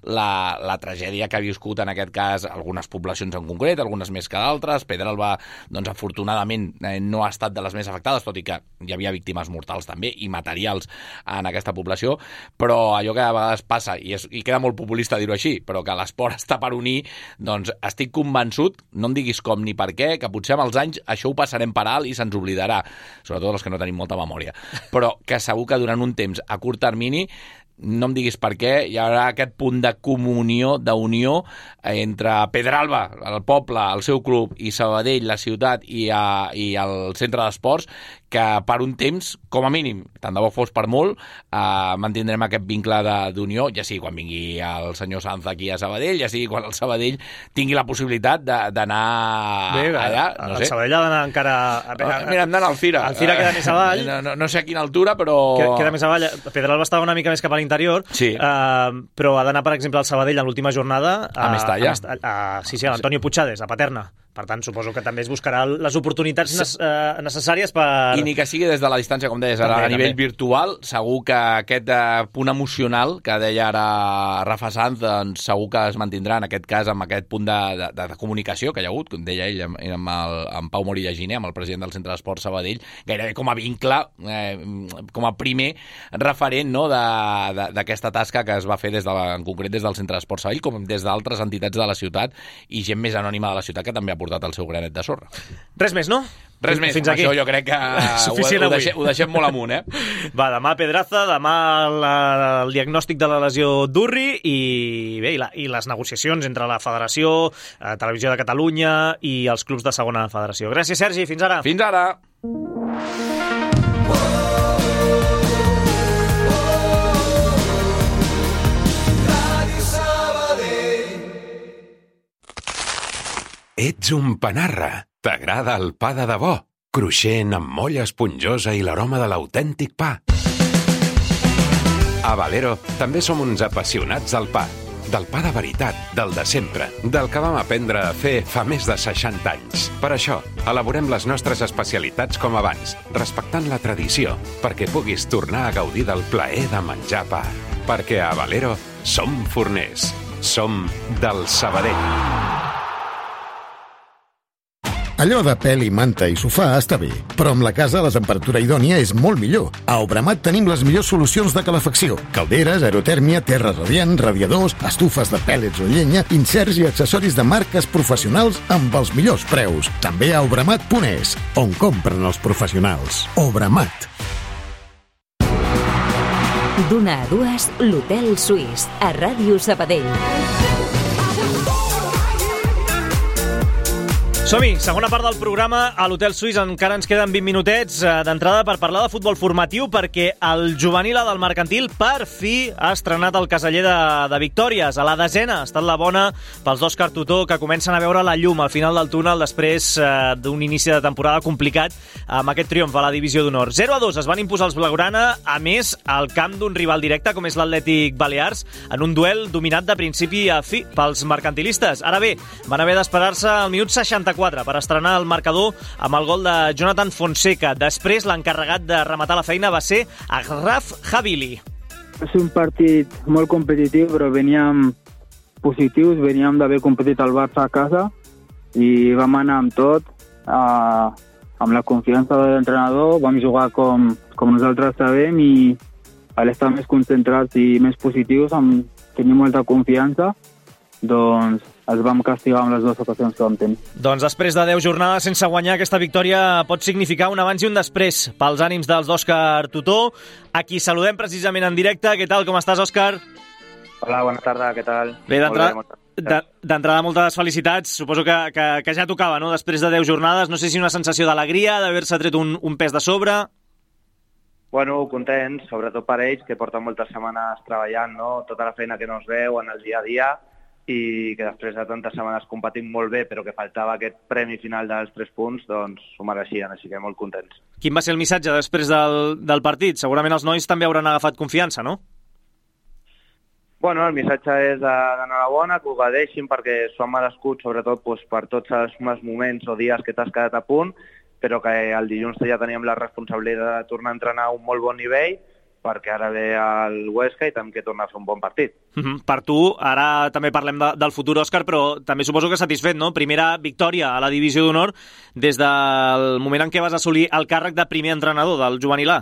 la, la tragèdia que ha viscut en aquest cas algunes poblacions en concret, algunes més que d'altres. Pedralba, doncs afortunadament eh, no ha estat de les més afectades, tot i que hi havia víctimes mortals també i materials en aquesta població, però allò que a vegades passa, i, és, i queda molt populista dir-ho així, però que l'esport està per unir, doncs estic convençut, no em diguis com ni per què, que potser amb els anys això ho passarem per alt i se'ns oblidarà, sobretot els que no tenim molta memòria, però que segur que durant un temps a curt termini, no em diguis per què, hi haurà aquest punt de comunió, d'unió entre Pedralba, el poble, el seu club, i Sabadell, la ciutat, i, a, i el centre d'esports, que per un temps, com a mínim, tant de bo fos per molt, eh, mantindrem aquest vincle d'unió, ja sigui quan vingui el senyor Sanz aquí a Sabadell, ja sigui quan el Sabadell tingui la possibilitat d'anar allà. No el sé. Sabadell ha d'anar encara... Mira, hem d'anar al Fira. El Fira queda més avall. No, no, no sé a quina altura, però... Queda més avall. Pedralba estava una mica més cap a l'interior, sí. uh, però ha d'anar, per exemple, al Sabadell en l'última jornada a, a Mestalla. A, a, a, sí, sí, a l'Antonio Puigades, a Paterna. Per tant, suposo que també es buscarà les oportunitats necessàries per... I ni que sigui des de la distància, com deies, també, a nivell també. virtual, segur que aquest uh, punt emocional que deia ara Rafa Sanz, doncs segur que es mantindrà en aquest cas amb aquest punt de, de, de comunicació que hi ha hagut, com deia ell, amb, amb, el, amb Pau Morilla Giner, amb el president del Centre d'Esport Sabadell, gairebé com a vincle, eh, com a primer referent, no?, d'aquesta tasca que es va fer des de la, en concret des del Centre d'Esport Sabadell, com des d'altres entitats de la ciutat i gent més anònima de la ciutat que també ha portat el seu granet de sorra. Res més, no? Res més, fins aquí. Això jo crec que ho, ho, deixem, ho deixem molt amunt, eh? Va, demà Pedraza, demà la, el diagnòstic de la lesió d'Urri i bé, i, la, i les negociacions entre la Federació, eh, Televisió de Catalunya i els clubs de segona federació. Gràcies, Sergi, fins ara. Fins ara. Ets un panarra. T'agrada el pa de debò? Cruixent, amb molla esponjosa i l'aroma de l'autèntic pa. A Valero també som uns apassionats del pa. Del pa de veritat, del de sempre, del que vam aprendre a fer fa més de seixanta anys. Per això, elaborem les nostres especialitats com abans, respectant la tradició, perquè puguis tornar a gaudir del plaer de menjar pa. Perquè a Valero som forners. Som del Sabadell. Allò de pèl i manta i sofà està bé, però amb la casa la temperatura idònia és molt millor. A Obramat tenim les millors solucions de calefacció. Calderes, aerotèrmia, terra radiant, radiadors, estufes de pèl·lets o llenya, inserts i accessoris de marques professionals amb els millors preus. També a obramat punt es, on compren els professionals. Obramat. D'una a dues, l'Hotel Suís, a Ràdio Sabadell. Som-hi, segona part del programa a l'Hotel Suís. Encara ens queden vint minutets d'entrada per parlar de futbol formatiu, perquè el juvenil del Mercantil per fi ha estrenat el caseller de, de victòries. A la desena ha estat la bona pels d'Òscar Tutó, que comencen a veure la llum al final del túnel després eh, d'un inici de temporada complicat amb aquest triomf a la divisió d'honor. zero a dos es van imposar els blaugrana, a més al camp d'un rival directe com és l'Atlètic Balears, en un duel dominat de principi a fi pels mercantilistes. Ara bé, van haver d'esperar-se al minut seixanta-quatre per estrenar el marcador amb el gol de Jonathan Fonseca. Després, l'encarregat de rematar la feina va ser Agraf Havili. És un partit molt competitiu, però veníem positius, veníem d'haver competit al Barça a casa i vam anar amb tot, eh, amb la confiança de l'entrenador, vam jugar com, com nosaltres sabem i a l'estar més concentrats i més positius, amb tenir molta confiança, doncs els vam castigar amb les dues ocasions que vam tenir. Doncs després de deu jornades sense guanyar, aquesta victòria pot significar un abans i un després pels ànims dels d'Òscar Tutó, a qui saludem precisament en directe. Què tal, com estàs, Òscar? Hola, bona tarda, què tal? Bé, d'entrada, moltes felicitats. Suposo que, que, que ja tocava, no?, després de deu jornades. No sé si una sensació d'alegria, d'haver-se tret un, un pes de sobre... Bueno, contents, sobretot per ells, que porten moltes setmanes treballant, no?, tota la feina que no es veu en el dia a dia, i que després de tantes setmanes competint molt bé, però que faltava aquest premi final dels tres punts, doncs s'ho mereixien, així que molt contents. Quin va ser el missatge després del, del partit? Segurament els nois també hauran agafat confiança, no? Bueno, el missatge és d'enhorabona, que ho gadeixin perquè s'ho han merescut, sobretot doncs, per tots els moments o dies que t'has quedat a punt, però que el dilluns ja teníem la responsabilitat de tornar a entrenar a un molt bon nivell, perquè ara ve el Huesca i també que torna a fer un bon partit. Uh-huh. Per tu, ara també parlem de, del futur, Òscar, però també suposo que satisfet, no? Primera victòria a la divisió d'honor des del moment en què vas assolir el càrrec de primer entrenador del juvenil A.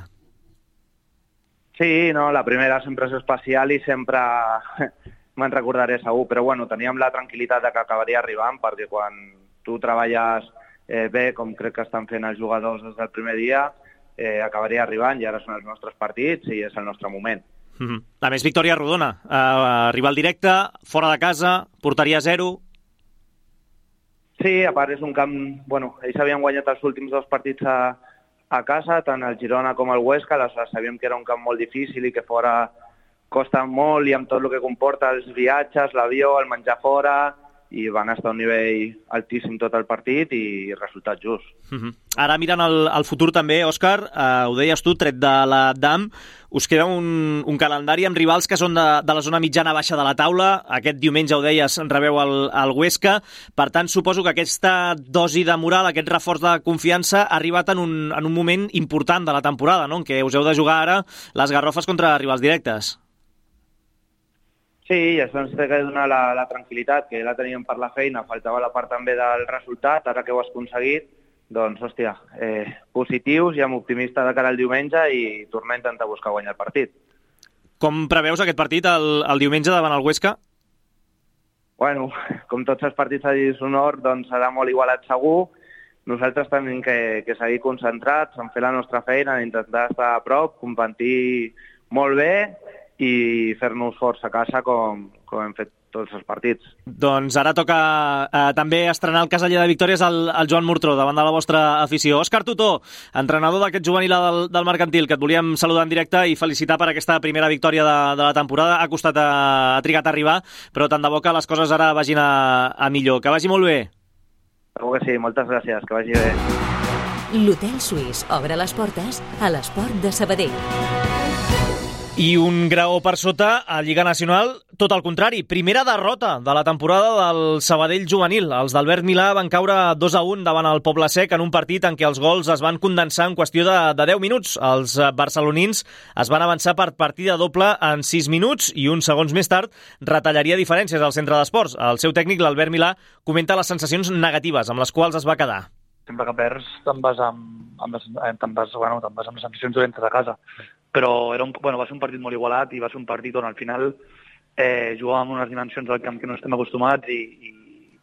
Sí, no, la primera sempre és especial i sempre me'n recordaré segur, però bueno, teníem la tranquil·litat de que acabaria arribant, perquè quan tu treballes eh, bé, com crec que estan fent els jugadors des del primer dia, eh, acabaria arribant i ara són els nostres partits i és el nostre moment. Mm-hmm. A més, victòria rodona. Uh, rival directe, fora de casa, porteria zero... Sí, a part és un camp... Bueno, ells havien guanyat els últims dos partits a, a casa, tant el Girona com el Huesca, aleshores sabíem que era un camp molt difícil i que fora costa molt i amb tot el que comporta els viatges, l'avió, el menjar fora, i van estar a un nivell altíssim tot el partit i resultat just. Mm-hmm. Ara mirant el, el futur també, Òscar, eh, ho deies tu, tret de la D A M, us queda un, un calendari amb rivals que són de, de la zona mitjana-baixa de la taula. Aquest diumenge, ho deies, rebeu el, el Huesca. Per tant, suposo que aquesta dosi de moral, aquest reforç de confiança, ha arribat en un, en un moment important de la temporada, no?, en què us heu de jugar ara les garrofes contra rivals directes. Sí, i això ens té que donar la, la tranquil·litat, que la teníem per la feina, faltava la part també del resultat, ara que ho has aconseguit, doncs, hòstia, eh, positius i amb optimista de cara al diumenge i tornar a intentar buscar guanyar el partit. Com preveus aquest partit el, el diumenge davant el Huesca? Bueno, com tots els partits a Dishonor, doncs serà molt igualat segur. Nosaltres tenim que, que seguir concentrats en fer la nostra feina, en intentar estar a prop, competir molt bé i fer-nos forts a casa com, com hem fet tots els partits. Doncs ara toca eh, també estrenar el caseller de victòries al, al Joan Murtró, davant de la vostra afició. Òscar Tutó, entrenador d'aquest juvenil del, del Mercantil, que et volíem saludar en directe i felicitar per aquesta primera victòria de, de la temporada. Ha costat, a, ha trigat a arribar, però tant de bo que les coses ara vagin a, a millor. Que vagi molt bé. Segur que sí, moltes gràcies, que vagi bé. L'Hotel Suís obre les portes a l'esport de Sabadell. I un graó per sota a Lliga Nacional, tot el contrari. Primera derrota de la temporada del Sabadell juvenil. Els d'Albert Milà van caure dos a un davant el Poble Sec en un partit en què els gols es van condensar en qüestió de, de deu minuts. Els barcelonins es van avançar per partida doble en sis minuts i uns segons més tard retallaria diferències al centre d'esports. El seu tècnic, l'Albert Milà, comenta les sensacions negatives amb les quals es va quedar. Sempre que perds te'n vas amb, amb, les, te'n vas, bueno, te'n vas amb les sensacions dolentes a casa. Però era un, bueno, va ser un partit molt igualat i va ser un partit on al final eh, jugàvem amb unes dimensions del camp que no estem acostumats i, i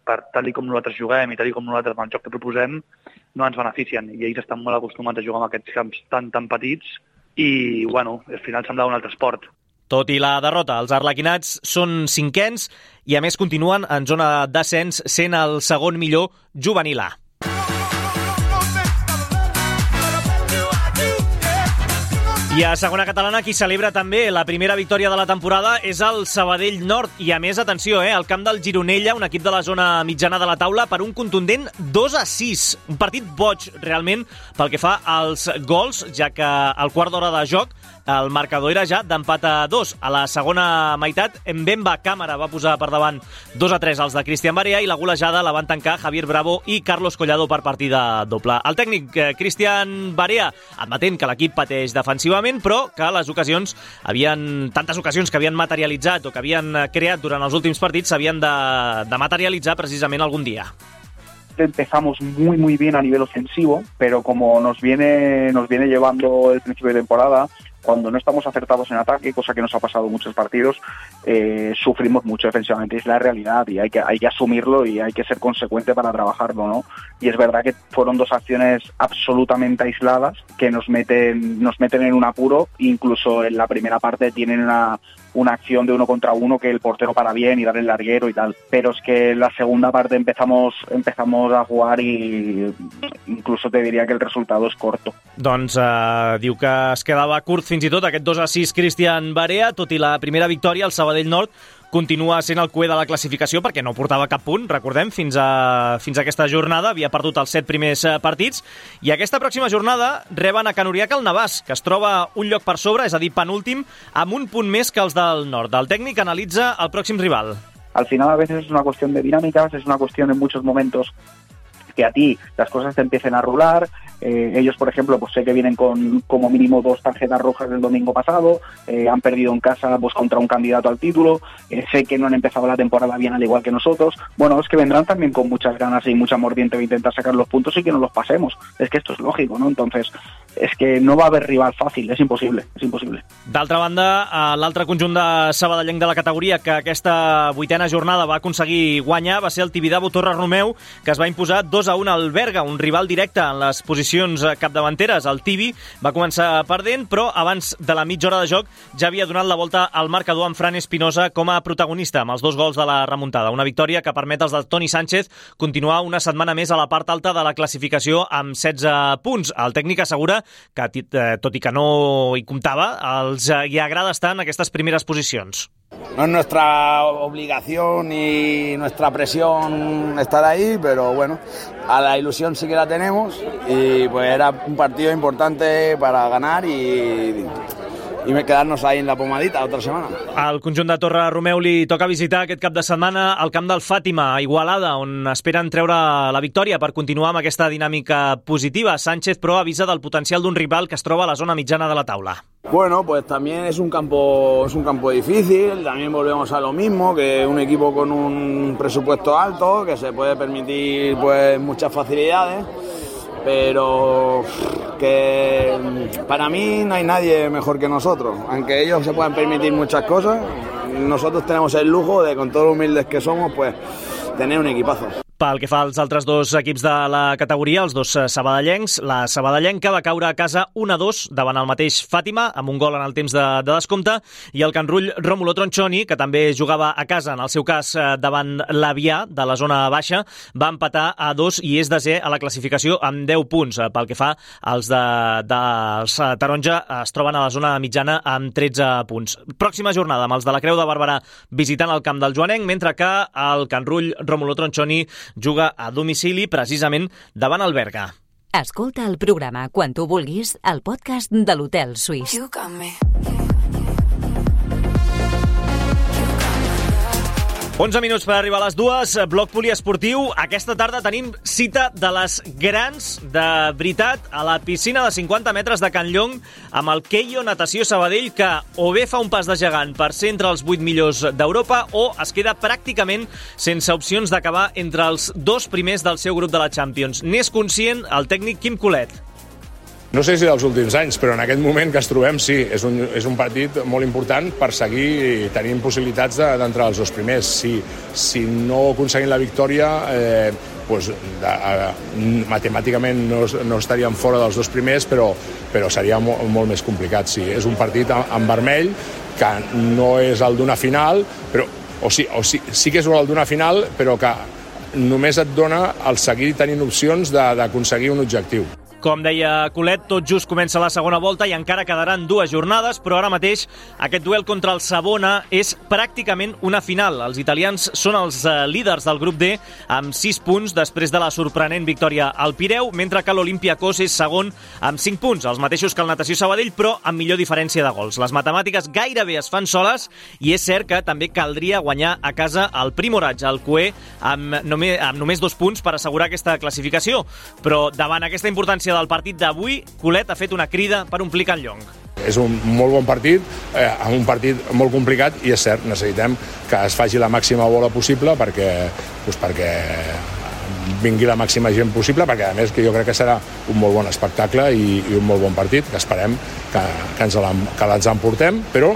per tal com nosaltres juguem i tal com nosaltres amb el joc que proposem no ens beneficien i ells estan molt acostumats a jugar amb aquests camps tan tan petits i bueno, al final semblava un altre esport. Tot i la derrota, els arlequinats són cinquens i a més continuen en zona d'ascens sent el segon millor juvenil A. I a segona catalana, qui celebra també la primera victòria de la temporada és el Sabadell Nord. I a més, atenció, eh, el camp del Gironella, un equip de la zona mitjana de la taula, per un contundent dos a sis. Un partit boig, realment, pel que fa als gols, ja que al quart d'hora de joc el marcador era ja d'empat a dos. A la segona meitat, Mbemba Càmera va posar per davant dos a tres als de Cristian Barea i la golejada la van tancar Javier Bravo i Carlos Collado per partida doble. El tècnic eh, Cristian Barea, admetent que l'equip pateix defensivament, però que les ocasions havien, tantes ocasions que havien materialitzat o que havien creat durant els últims partits s'havien de, de materialitzar precisament algun dia. Empezamos muy muy bien a nivel ofensivo, pero como nos viene nos viene llevando el principio de temporada, cuando no estamos acertados en ataque, cosa que nos ha pasado en muchos partidos, eh, sufrimos mucho defensivamente. Es la realidad y hay que hay que asumirlo y hay que ser consecuente para trabajarlo, ¿no? Y es verdad que fueron dos acciones absolutamente aisladas que nos meten nos meten en un apuro. Incluso en la primera parte tienen una una acción de uno contra uno que el portero para bien y dar el larguero y tal, pero es que en la segunda parte empezamos empezamos a jugar y incluso te diría que el resultado es corto. Doncs eh, diu que es quedava curt fins i tot aquest dos a sis Cristian Barea, tot i la primera victòria, el Sabadell Nord continua sent el cuer de la classificació perquè no portava cap punt, recordem, fins a, fins a aquesta jornada, havia perdut els set primers partits, i aquesta pròxima jornada reben a Can Uriac el Navàs, que es troba un lloc per sobre, és a dir, penúltim, amb un punt més que els del nord. El tècnic analitza el pròxim rival. Al final a veces es una cuestión de dinámicas, es una cuestión en muchos momentos que a ti las cosas te empiecen a rular. Eh, ellos, por ejemplo, pues sé que vienen con como mínimo dos tarjetas rojas del domingo pasado, eh, han perdido en casa pues contra un candidato al título, eh, sé que no han empezado la temporada bien al igual que nosotros. Bueno, es que vendrán también con muchas ganas y mucha mordiente de intentar sacar los puntos y que no los pasemos. Es que esto es lógico, ¿no? Entonces, és que no va haver rival fàcil, és impossible, és impossible. D'altra banda, l'altre conjunt de sabadellenc de la categoria que aquesta vuitena jornada va aconseguir guanyar va ser el Tibidabo Torre Romeu, que es va imposar dos a un al Berga, un rival directe en les posicions capdavanteres. El Tibi va començar perdent, però abans de la mitja hora de joc ja havia donat la volta al marcador amb Fran Espinosa com a protagonista, amb els dos gols de la remuntada. Una victòria que permet als de Toni Sánchez continuar una setmana més a la part alta de la classificació amb setze punts. El tècnic assegura que, tot i que no hi comptava, els hi agrada estar en aquestes primeres posicions. No es nuestra obligación ni nuestra presión estar ahí, pero bueno, a la ilusión sí que la tenemos y pues era un partido importante para ganar y... i quedar-nos ahí en la pomadita otra setmana. Al conjunt de Torre Romeu li toca visitar aquest cap de setmana el camp del Fàtima, a Igualada, on esperen treure la victòria per continuar amb aquesta dinàmica positiva. Sánchez, però, avisa del potencial d'un rival que es troba a la zona mitjana de la taula. Bueno, pues también es un campo es un campo difícil, también volvemos a lo mismo, que un equipo con un presupuesto alto, que se puede permitir pues muchas facilidades, pero que para mí no hay nadie mejor que nosotros. Aunque ellos se puedan permitir muchas cosas, nosotros tenemos el lujo de, con todos los humildes que somos, pues tener un equipazo. Pel que fa als altres dos equips de la categoria, els dos sabadellencs, la sabadellenca va caure a casa un a dos davant el mateix Fàtima, amb un gol en el temps de, de descompte, i el Can Rull Rómulo Tronchoni, que també jugava a casa, en el seu cas davant l'Avià, de la zona baixa, va empatar a dos i és desè a la classificació amb deu punts. Pel que fa als de, dels taronja, es troben a la zona mitjana amb tretze punts. Pròxima jornada amb els de la Creu de Barberà visitant el camp del Joanenc, mentre que el Can Rull Rómulo Tronchoni juga a domicili precisament davant el Berga. Escolta el programa quan tu vulguis al podcast de l'Hotel Suís. onze minuts per arribar a les dues, bloc poliesportiu. Aquesta tarda tenim cita de les grans, de veritat, a la piscina de cinquanta metres de Can Llong, amb el Keio Natació Sabadell, que o bé fa un pas de gegant per ser entre els vuit millors d'Europa o es queda pràcticament sense opcions d'acabar entre els dos primers del seu grup de la Champions. N'és conscient el tècnic Quim Colet. No sé si dels últims anys, però en aquest moment que es trobem sí, és un, és un partit molt important per seguir tenint possibilitats d'entrar als dos primers. Si, si no aconseguim la victòria, eh, doncs, de, eh, matemàticament no, no estaríem fora dels dos primers, però, però seria molt, molt més complicat. Sí, és un partit en, en vermell, que no és el d'una final, però, o, sí, o sí, sí que és el d'una final, però que només et dona el seguir tenint opcions d'aconseguir un objectiu. Com deia Colet, tot just comença la segona volta i encara quedaran dues jornades, però ara mateix aquest duel contra el Savona és pràcticament una final. Els italians són els líders del grup D amb sis punts després de la sorprenent victòria al Pireu, mentre que l'Olympiacos és segon amb cinc punts, els mateixos que el Natació Sabadell, però amb millor diferència de gols. Les matemàtiques gairebé es fan soles i és cert que també caldria guanyar a casa el Primoratge, el Cué, amb només, amb només dos punts per assegurar aquesta classificació. Però davant aquesta importància del partit d'avui, Colet ha fet una crida per omplir Can Llong. És un molt bon partit, eh, un partit molt complicat i és cert, necessitem que es faci la màxima bola possible perquè, doncs perquè vingui la màxima gent possible, perquè a més que jo crec que serà un molt bon espectacle i, i un molt bon partit, que esperem que, que ens l'emportem, però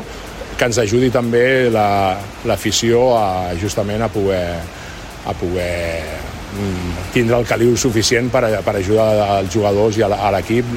que ens ajudi també l'afició la, a, justament a poder, a poder tindre el caliu suficient per, per ajudar els jugadors i a l'equip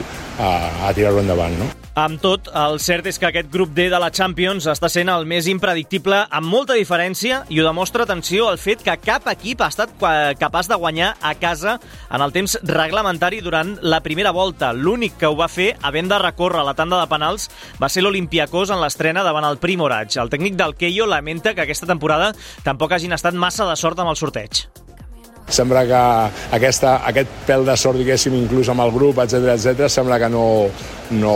a, a tirar-ho endavant, no? Amb tot, el cert és que aquest grup D de la Champions està sent el més impredictible amb molta diferència i ho demostra, atenció, el fet que cap equip ha estat capaç de guanyar a casa en el temps reglamentari durant la primera volta. L'únic que ho va fer, havent de recórrer la tanda de penals, va ser l'Olympiacos en l'estrena davant el Primoratge. El tècnic del Keio lamenta que aquesta temporada tampoc hagin estat massa de sort amb el sorteig. Sembla que aquesta, aquest pèl de sort, diguéssim, inclús amb el grup, etcètera, etcètera, sembla que no, no,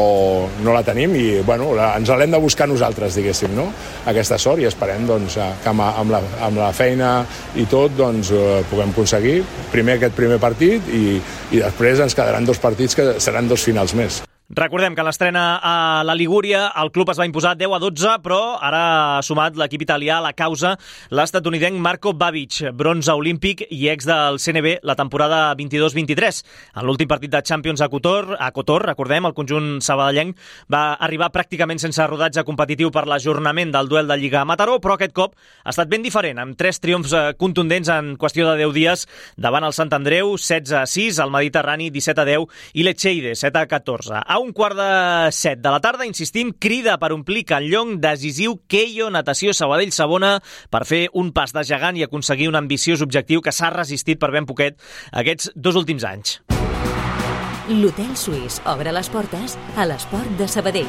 no la tenim i bueno, la, ens l'hem de buscar nosaltres, diguéssim, no? Aquesta sort, i esperem doncs, que amb, amb, la, amb la feina i tot doncs, eh, puguem aconseguir primer aquest primer partit i, i després ens quedaran dos partits que seran dos finals més. Recordem que l'estrena a la Ligúria el club es va imposar deu a dotze, però ara ha sumat l'equip italià a la causa l'estatunidenc Marco Babic, bronze olímpic i ex del C N B la temporada vint-i-dos vint-i-tres. En l'últim partit de Champions a Cotor, a Cotor, recordem, el conjunt sabadellenc va arribar pràcticament sense rodatge competitiu per l'ajornament del duel de Lliga a Mataró, però aquest cop ha estat ben diferent, amb tres triomfs contundents en qüestió de deu dies davant el Sant Andreu, setze a sis, el Mediterrani, disset a deu, i l'Echeide, set a catorze. A un quart de set de la tarda, insistim, crida per omplir Canllong, decisiu Keio Natació Sabadell Sabona per fer un pas de gegant i aconseguir un ambiciós objectiu que s'ha resistit per ben poquet aquests dos últims anys. L'Hotel Suís obre les portes a l'esport de Sabadell.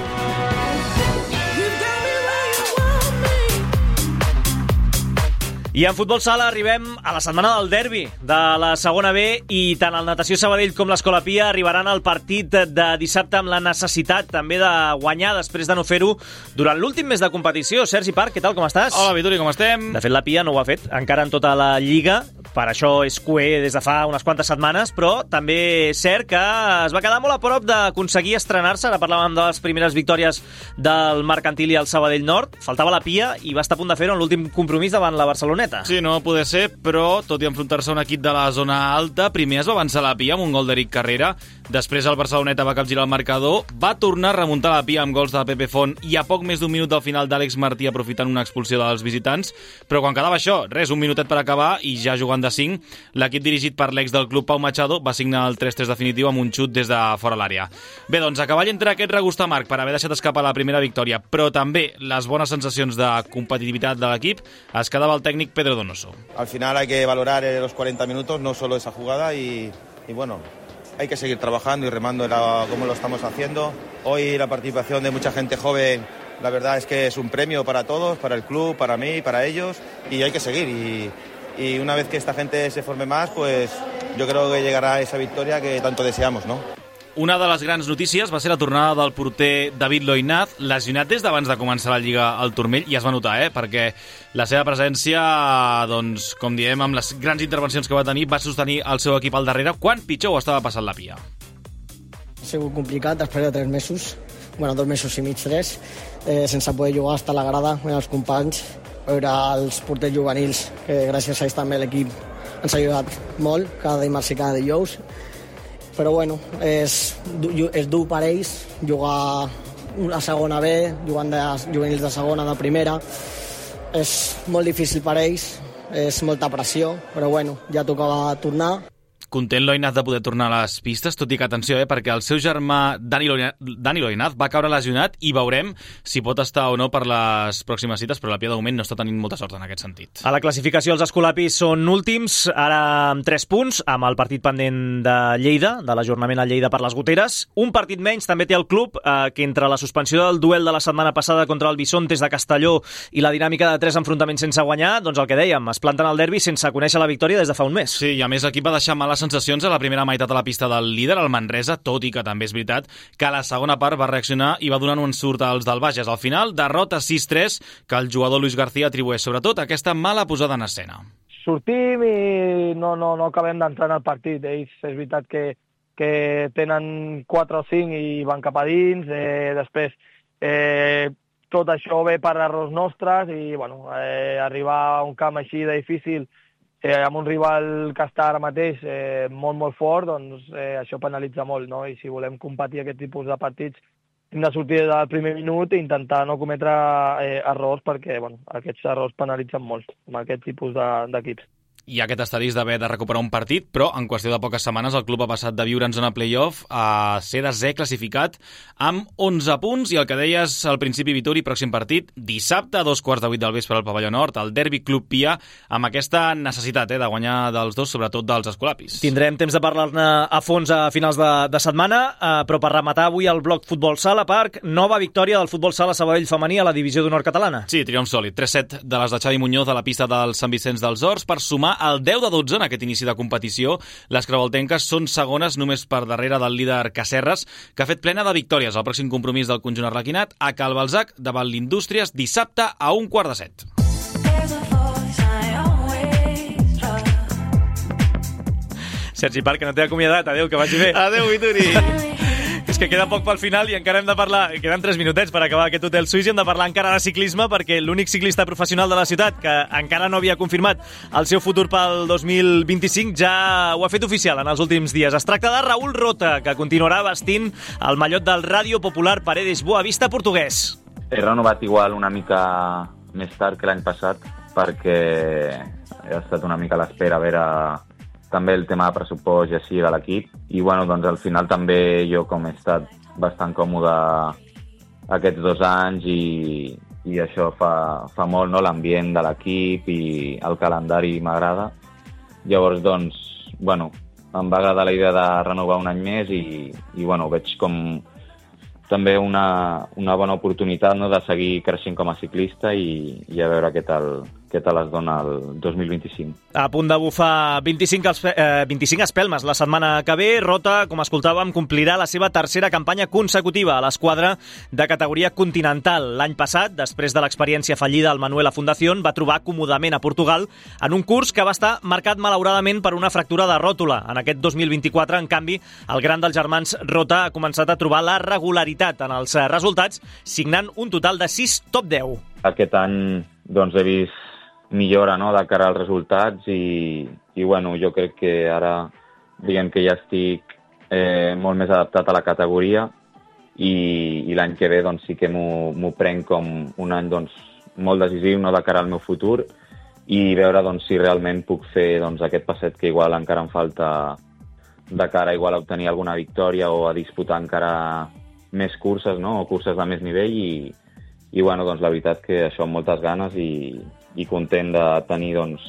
I en futbol sala arribem a la setmana del derbi de la segona B i tant el Natació Sabadell com l'Escola Pia arribaran al partit de dissabte amb la necessitat també de guanyar després de no fer-ho durant l'últim mes de competició. Sergi Parc, què tal, com estàs? Hola, Vituri, com estem? De fet, la Pia no ho ha fet encara en tota la Lliga, per això és cué des de fa unes quantes setmanes, però també és cert que es va quedar molt a prop d'aconseguir estrenar-se. Ara parlàvem de les primeres victòries del Mercantil i el Sabadell Nord. Faltava la Pia i va estar a punt de fer-ho en l'últim compromís davant la Barcelona. Sí, no va poder ser, però tot i enfrontar-se a un equip de la zona alta, primer es va avançar la Pia amb un gol d'Eric Carrera, després el Barceloneta va capgirar el marcador, va tornar a remuntar la Pia amb gols de Pepe Font i a poc més d'un minut del final d'Àlex Martí aprofitant una expulsió dels visitants, però quan quedava això, res, un minutet per acabar i ja jugant de cinc, l'equip dirigit per l'ex del club Pau Machado va signar el tres tres definitiu amb un xut des de fora l'àrea. Bé, doncs a cavall entre aquest regust amarg per haver deixat escapar la primera victòria, però també les bones sensacions de competitivitat de l'equip, es quedava el tècnic Pedro Donoso. Al final hay que valorar los cuarenta minutos, no solo esa jugada y, y bueno, hay que seguir trabajando y remando la, como lo estamos haciendo. Hoy la participación de mucha gente joven, la verdad es que es un premio para todos, para el club, para mí, para ellos, y hay que seguir. Y, y una vez que esta gente se forme más, pues yo creo que llegará esa victoria que tanto deseamos, ¿no? Una de les grans notícies va ser la tornada del porter David Loinaz, lesionat des d'abans de començar la Lliga al turmell, i es va notar, eh? perquè la seva presència, doncs, com diem, amb les grans intervencions que va tenir, va sostenir el seu equip al darrere, quan pitjor ho estava passant la Pia. Ha sigut complicat després de tres mesos, bueno, dos mesos i mig, tres, eh, sense poder jugar, estar a la grada, amb els companys, veure els porters juvenils, que gràcies a ells també l'equip ens ha ajudat molt, cada dimarts i cada dijous. Però bueno, és, és dur per ells jugar a segona B, jugant de juvenils de segona, de primera. És molt difícil per ells, és molta pressió, però bueno, ja tocava tornar. Content Loinaz de poder tornar a les pistes, tot i que, atenció, eh, perquè el seu germà Dani Loinaz, Dani Loinaz va caure lesionat i veurem si pot estar o no per les pròximes cites, però la Pia de moment no està tenint molta sort en aquest sentit. A la classificació els escolapis són últims, ara amb tres punts, amb el partit pendent de Lleida, de l'ajornament a Lleida per les goteres. Un partit menys també té el club, eh, que entre la suspensió del duel de la setmana passada contra el Bisontes de Castelló i la dinàmica de tres enfrontaments sense guanyar, doncs el que dèiem, es planten al derbi sense conèixer la victòria des de fa un mes. Sí, i a més l'equip va deixar males sensacions a la primera meitat a la pista del líder, el Manresa, tot i que també és veritat que a la segona part va reaccionar i va donar un ensurt als del Bages. Al final, derrota sis tres, que el jugador Luis García atribueix sobretot a aquesta mala posada en escena. Sortim i no, no, no acabem d'entrar en el partit. Ells és veritat que, que tenen quatre o cinc i van cap a dins. Eh, després, eh, tot això ve per errors nostres i bueno, eh, arribar a un camp així de difícil Eh, amb un rival que està ara mateix eh, molt, molt fort, doncs eh, això penalitza molt, no? I si volem competir aquest tipus de partits hem de sortir del primer minut i intentar no cometre eh, errors perquè bueno, aquests errors penalitzen molt amb aquest tipus d'equips. De, I aquest asterisc d'haver de recuperar un partit, però en qüestió de poques setmanes el club ha passat de viure en zona play-off a ser desè classificat amb onze punts, i el que deies al principi, Vituri, pròxim partit, dissabte a dos quarts de vuit del vespre al Pavelló Nord, el derbi Club Pia, amb aquesta necessitat eh, de guanyar dels dos, sobretot dels escolapis. Tindrem temps de parlar-ne a fons a finals de, de setmana, eh, però per rematar avui el bloc Futbol Sala, Parc, nova victòria del Futbol Sala Sabadell femení a la divisió d'honor catalana. Sí, triomf sòlid, tres set de les de Xavi Muñoz a la pista del Sant Vicenç dels Horts per sumar el deu de dotze en aquest inici de competició. Les crevoltenques són segones només per darrere del líder Cacerres, que ha fet plena de victòries. El pròxim compromís del conjunt arlequinat a Cal Balzac davant l'Indústries dissabte a un quart de set. Sergi Parc, que no t'he acomiadat. Adéu, que vagi bé. Adéu, Vituri. És que queda poc pel final i encara hem de parlar, queden tres minutets per acabar aquest Hotel Suís i hem de parlar encara de ciclisme perquè l'únic ciclista professional de la ciutat que encara no havia confirmat el seu futur pel dos mil vint-i-cinc ja ho ha fet oficial en els últims dies. Es tracta de Raúl Rota, que continuarà vestint el mallot del Radio Popular Paredes Boavista portuguès. He renovat igual una mica més tard que l'any passat perquè he estat una mica a l'espera a veure també el tema de pressupost i així de l'equip. I bueno, doncs al final també jo com he estat bastant còmode aquests dos anys i, i això fa, fa molt, no? L'ambient de l'equip i el calendari m'agrada. Llavors, doncs, bueno, em va agradar la idea de renovar un any més i, i bueno, veig com també una, una bona oportunitat, no?, de seguir creixent com a ciclista i, i a veure què tal, què tal es dona el dos mil vint-i-cinc. A punt de bufar vint-i-cinc, eh, vint-i-cinc espelmes la setmana que ve, Rota, com escoltàvem, complirà la seva tercera campanya consecutiva a l'esquadra de categoria continental. L'any passat, després de l'experiència fallida al Manuela Fundación, va trobar còmodament a Portugal en un curs que va estar marcat malauradament per una fractura de ròtula. En aquest dos mil vint-i-quatre, en canvi, el gran dels germans Rota ha començat a trobar la regularitat en els resultats, signant un total de sis top deu. Aquest any doncs, he vist millora, no?, de cara als resultats i, i bueno, jo crec que ara diguem que ja estic eh, molt més adaptat a la categoria i, i l'any que ve doncs, sí que m'ho prenc com un any doncs, molt decisiu, no?, de cara al meu futur i veure doncs, si realment puc fer doncs, aquest passet que igual encara em falta de cara igual a obtenir alguna victòria o a disputar encara més curses, no?, o curses de més nivell i, i bueno, doncs, la veritat que això amb moltes ganes i i content de tenir doncs,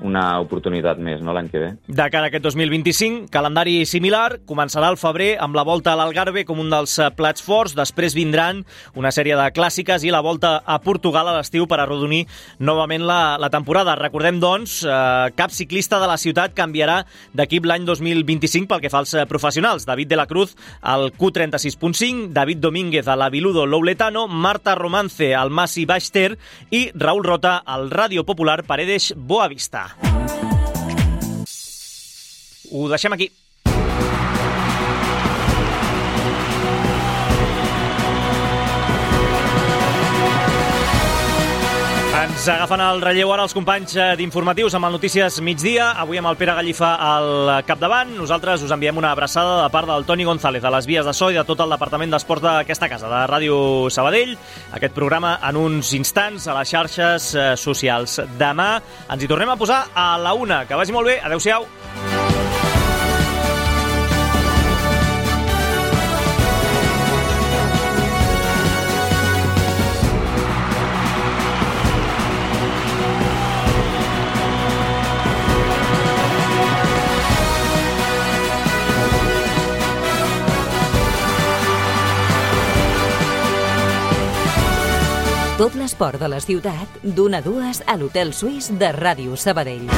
una oportunitat més, no?, l'any que ve. De cara a aquest dos mil vint-i-cinc, calendari similar, començarà al febrer amb la Volta a l'Algarve com un dels plats forts, després vindran una sèrie de clàssiques i la Volta a Portugal a l'estiu per arrodonir novament la, la temporada. Recordem, doncs, eh, cap ciclista de la ciutat canviarà d'equip l'any dos mil vint-i-cinc pel que fa als professionals. David de la Cruz al Q trenta-sis punt cinc, David Domínguez a l'Aviludo Louletano, Marta Romance al Masi Baix-Ter i Raúl Rota al Radio Popular Paredes Boavista. Ho deixem aquí. Ens agafen el relleu ara els companys d'informatius amb el Notícies Migdia, avui amb el Pere Gallifa al capdavant. Nosaltres us enviem una abraçada de part del Toni González, de les vies de so i de tot el departament d'esports d'aquesta casa, de Ràdio Sabadell. Aquest programa en uns instants a les xarxes socials. Demà ens hi tornem a posar a la una. Que vagi molt bé. Adéu-siau. Tot l'esport de la ciutat, d'una a dues a l'Hotel Suís de Ràdio Sabadell.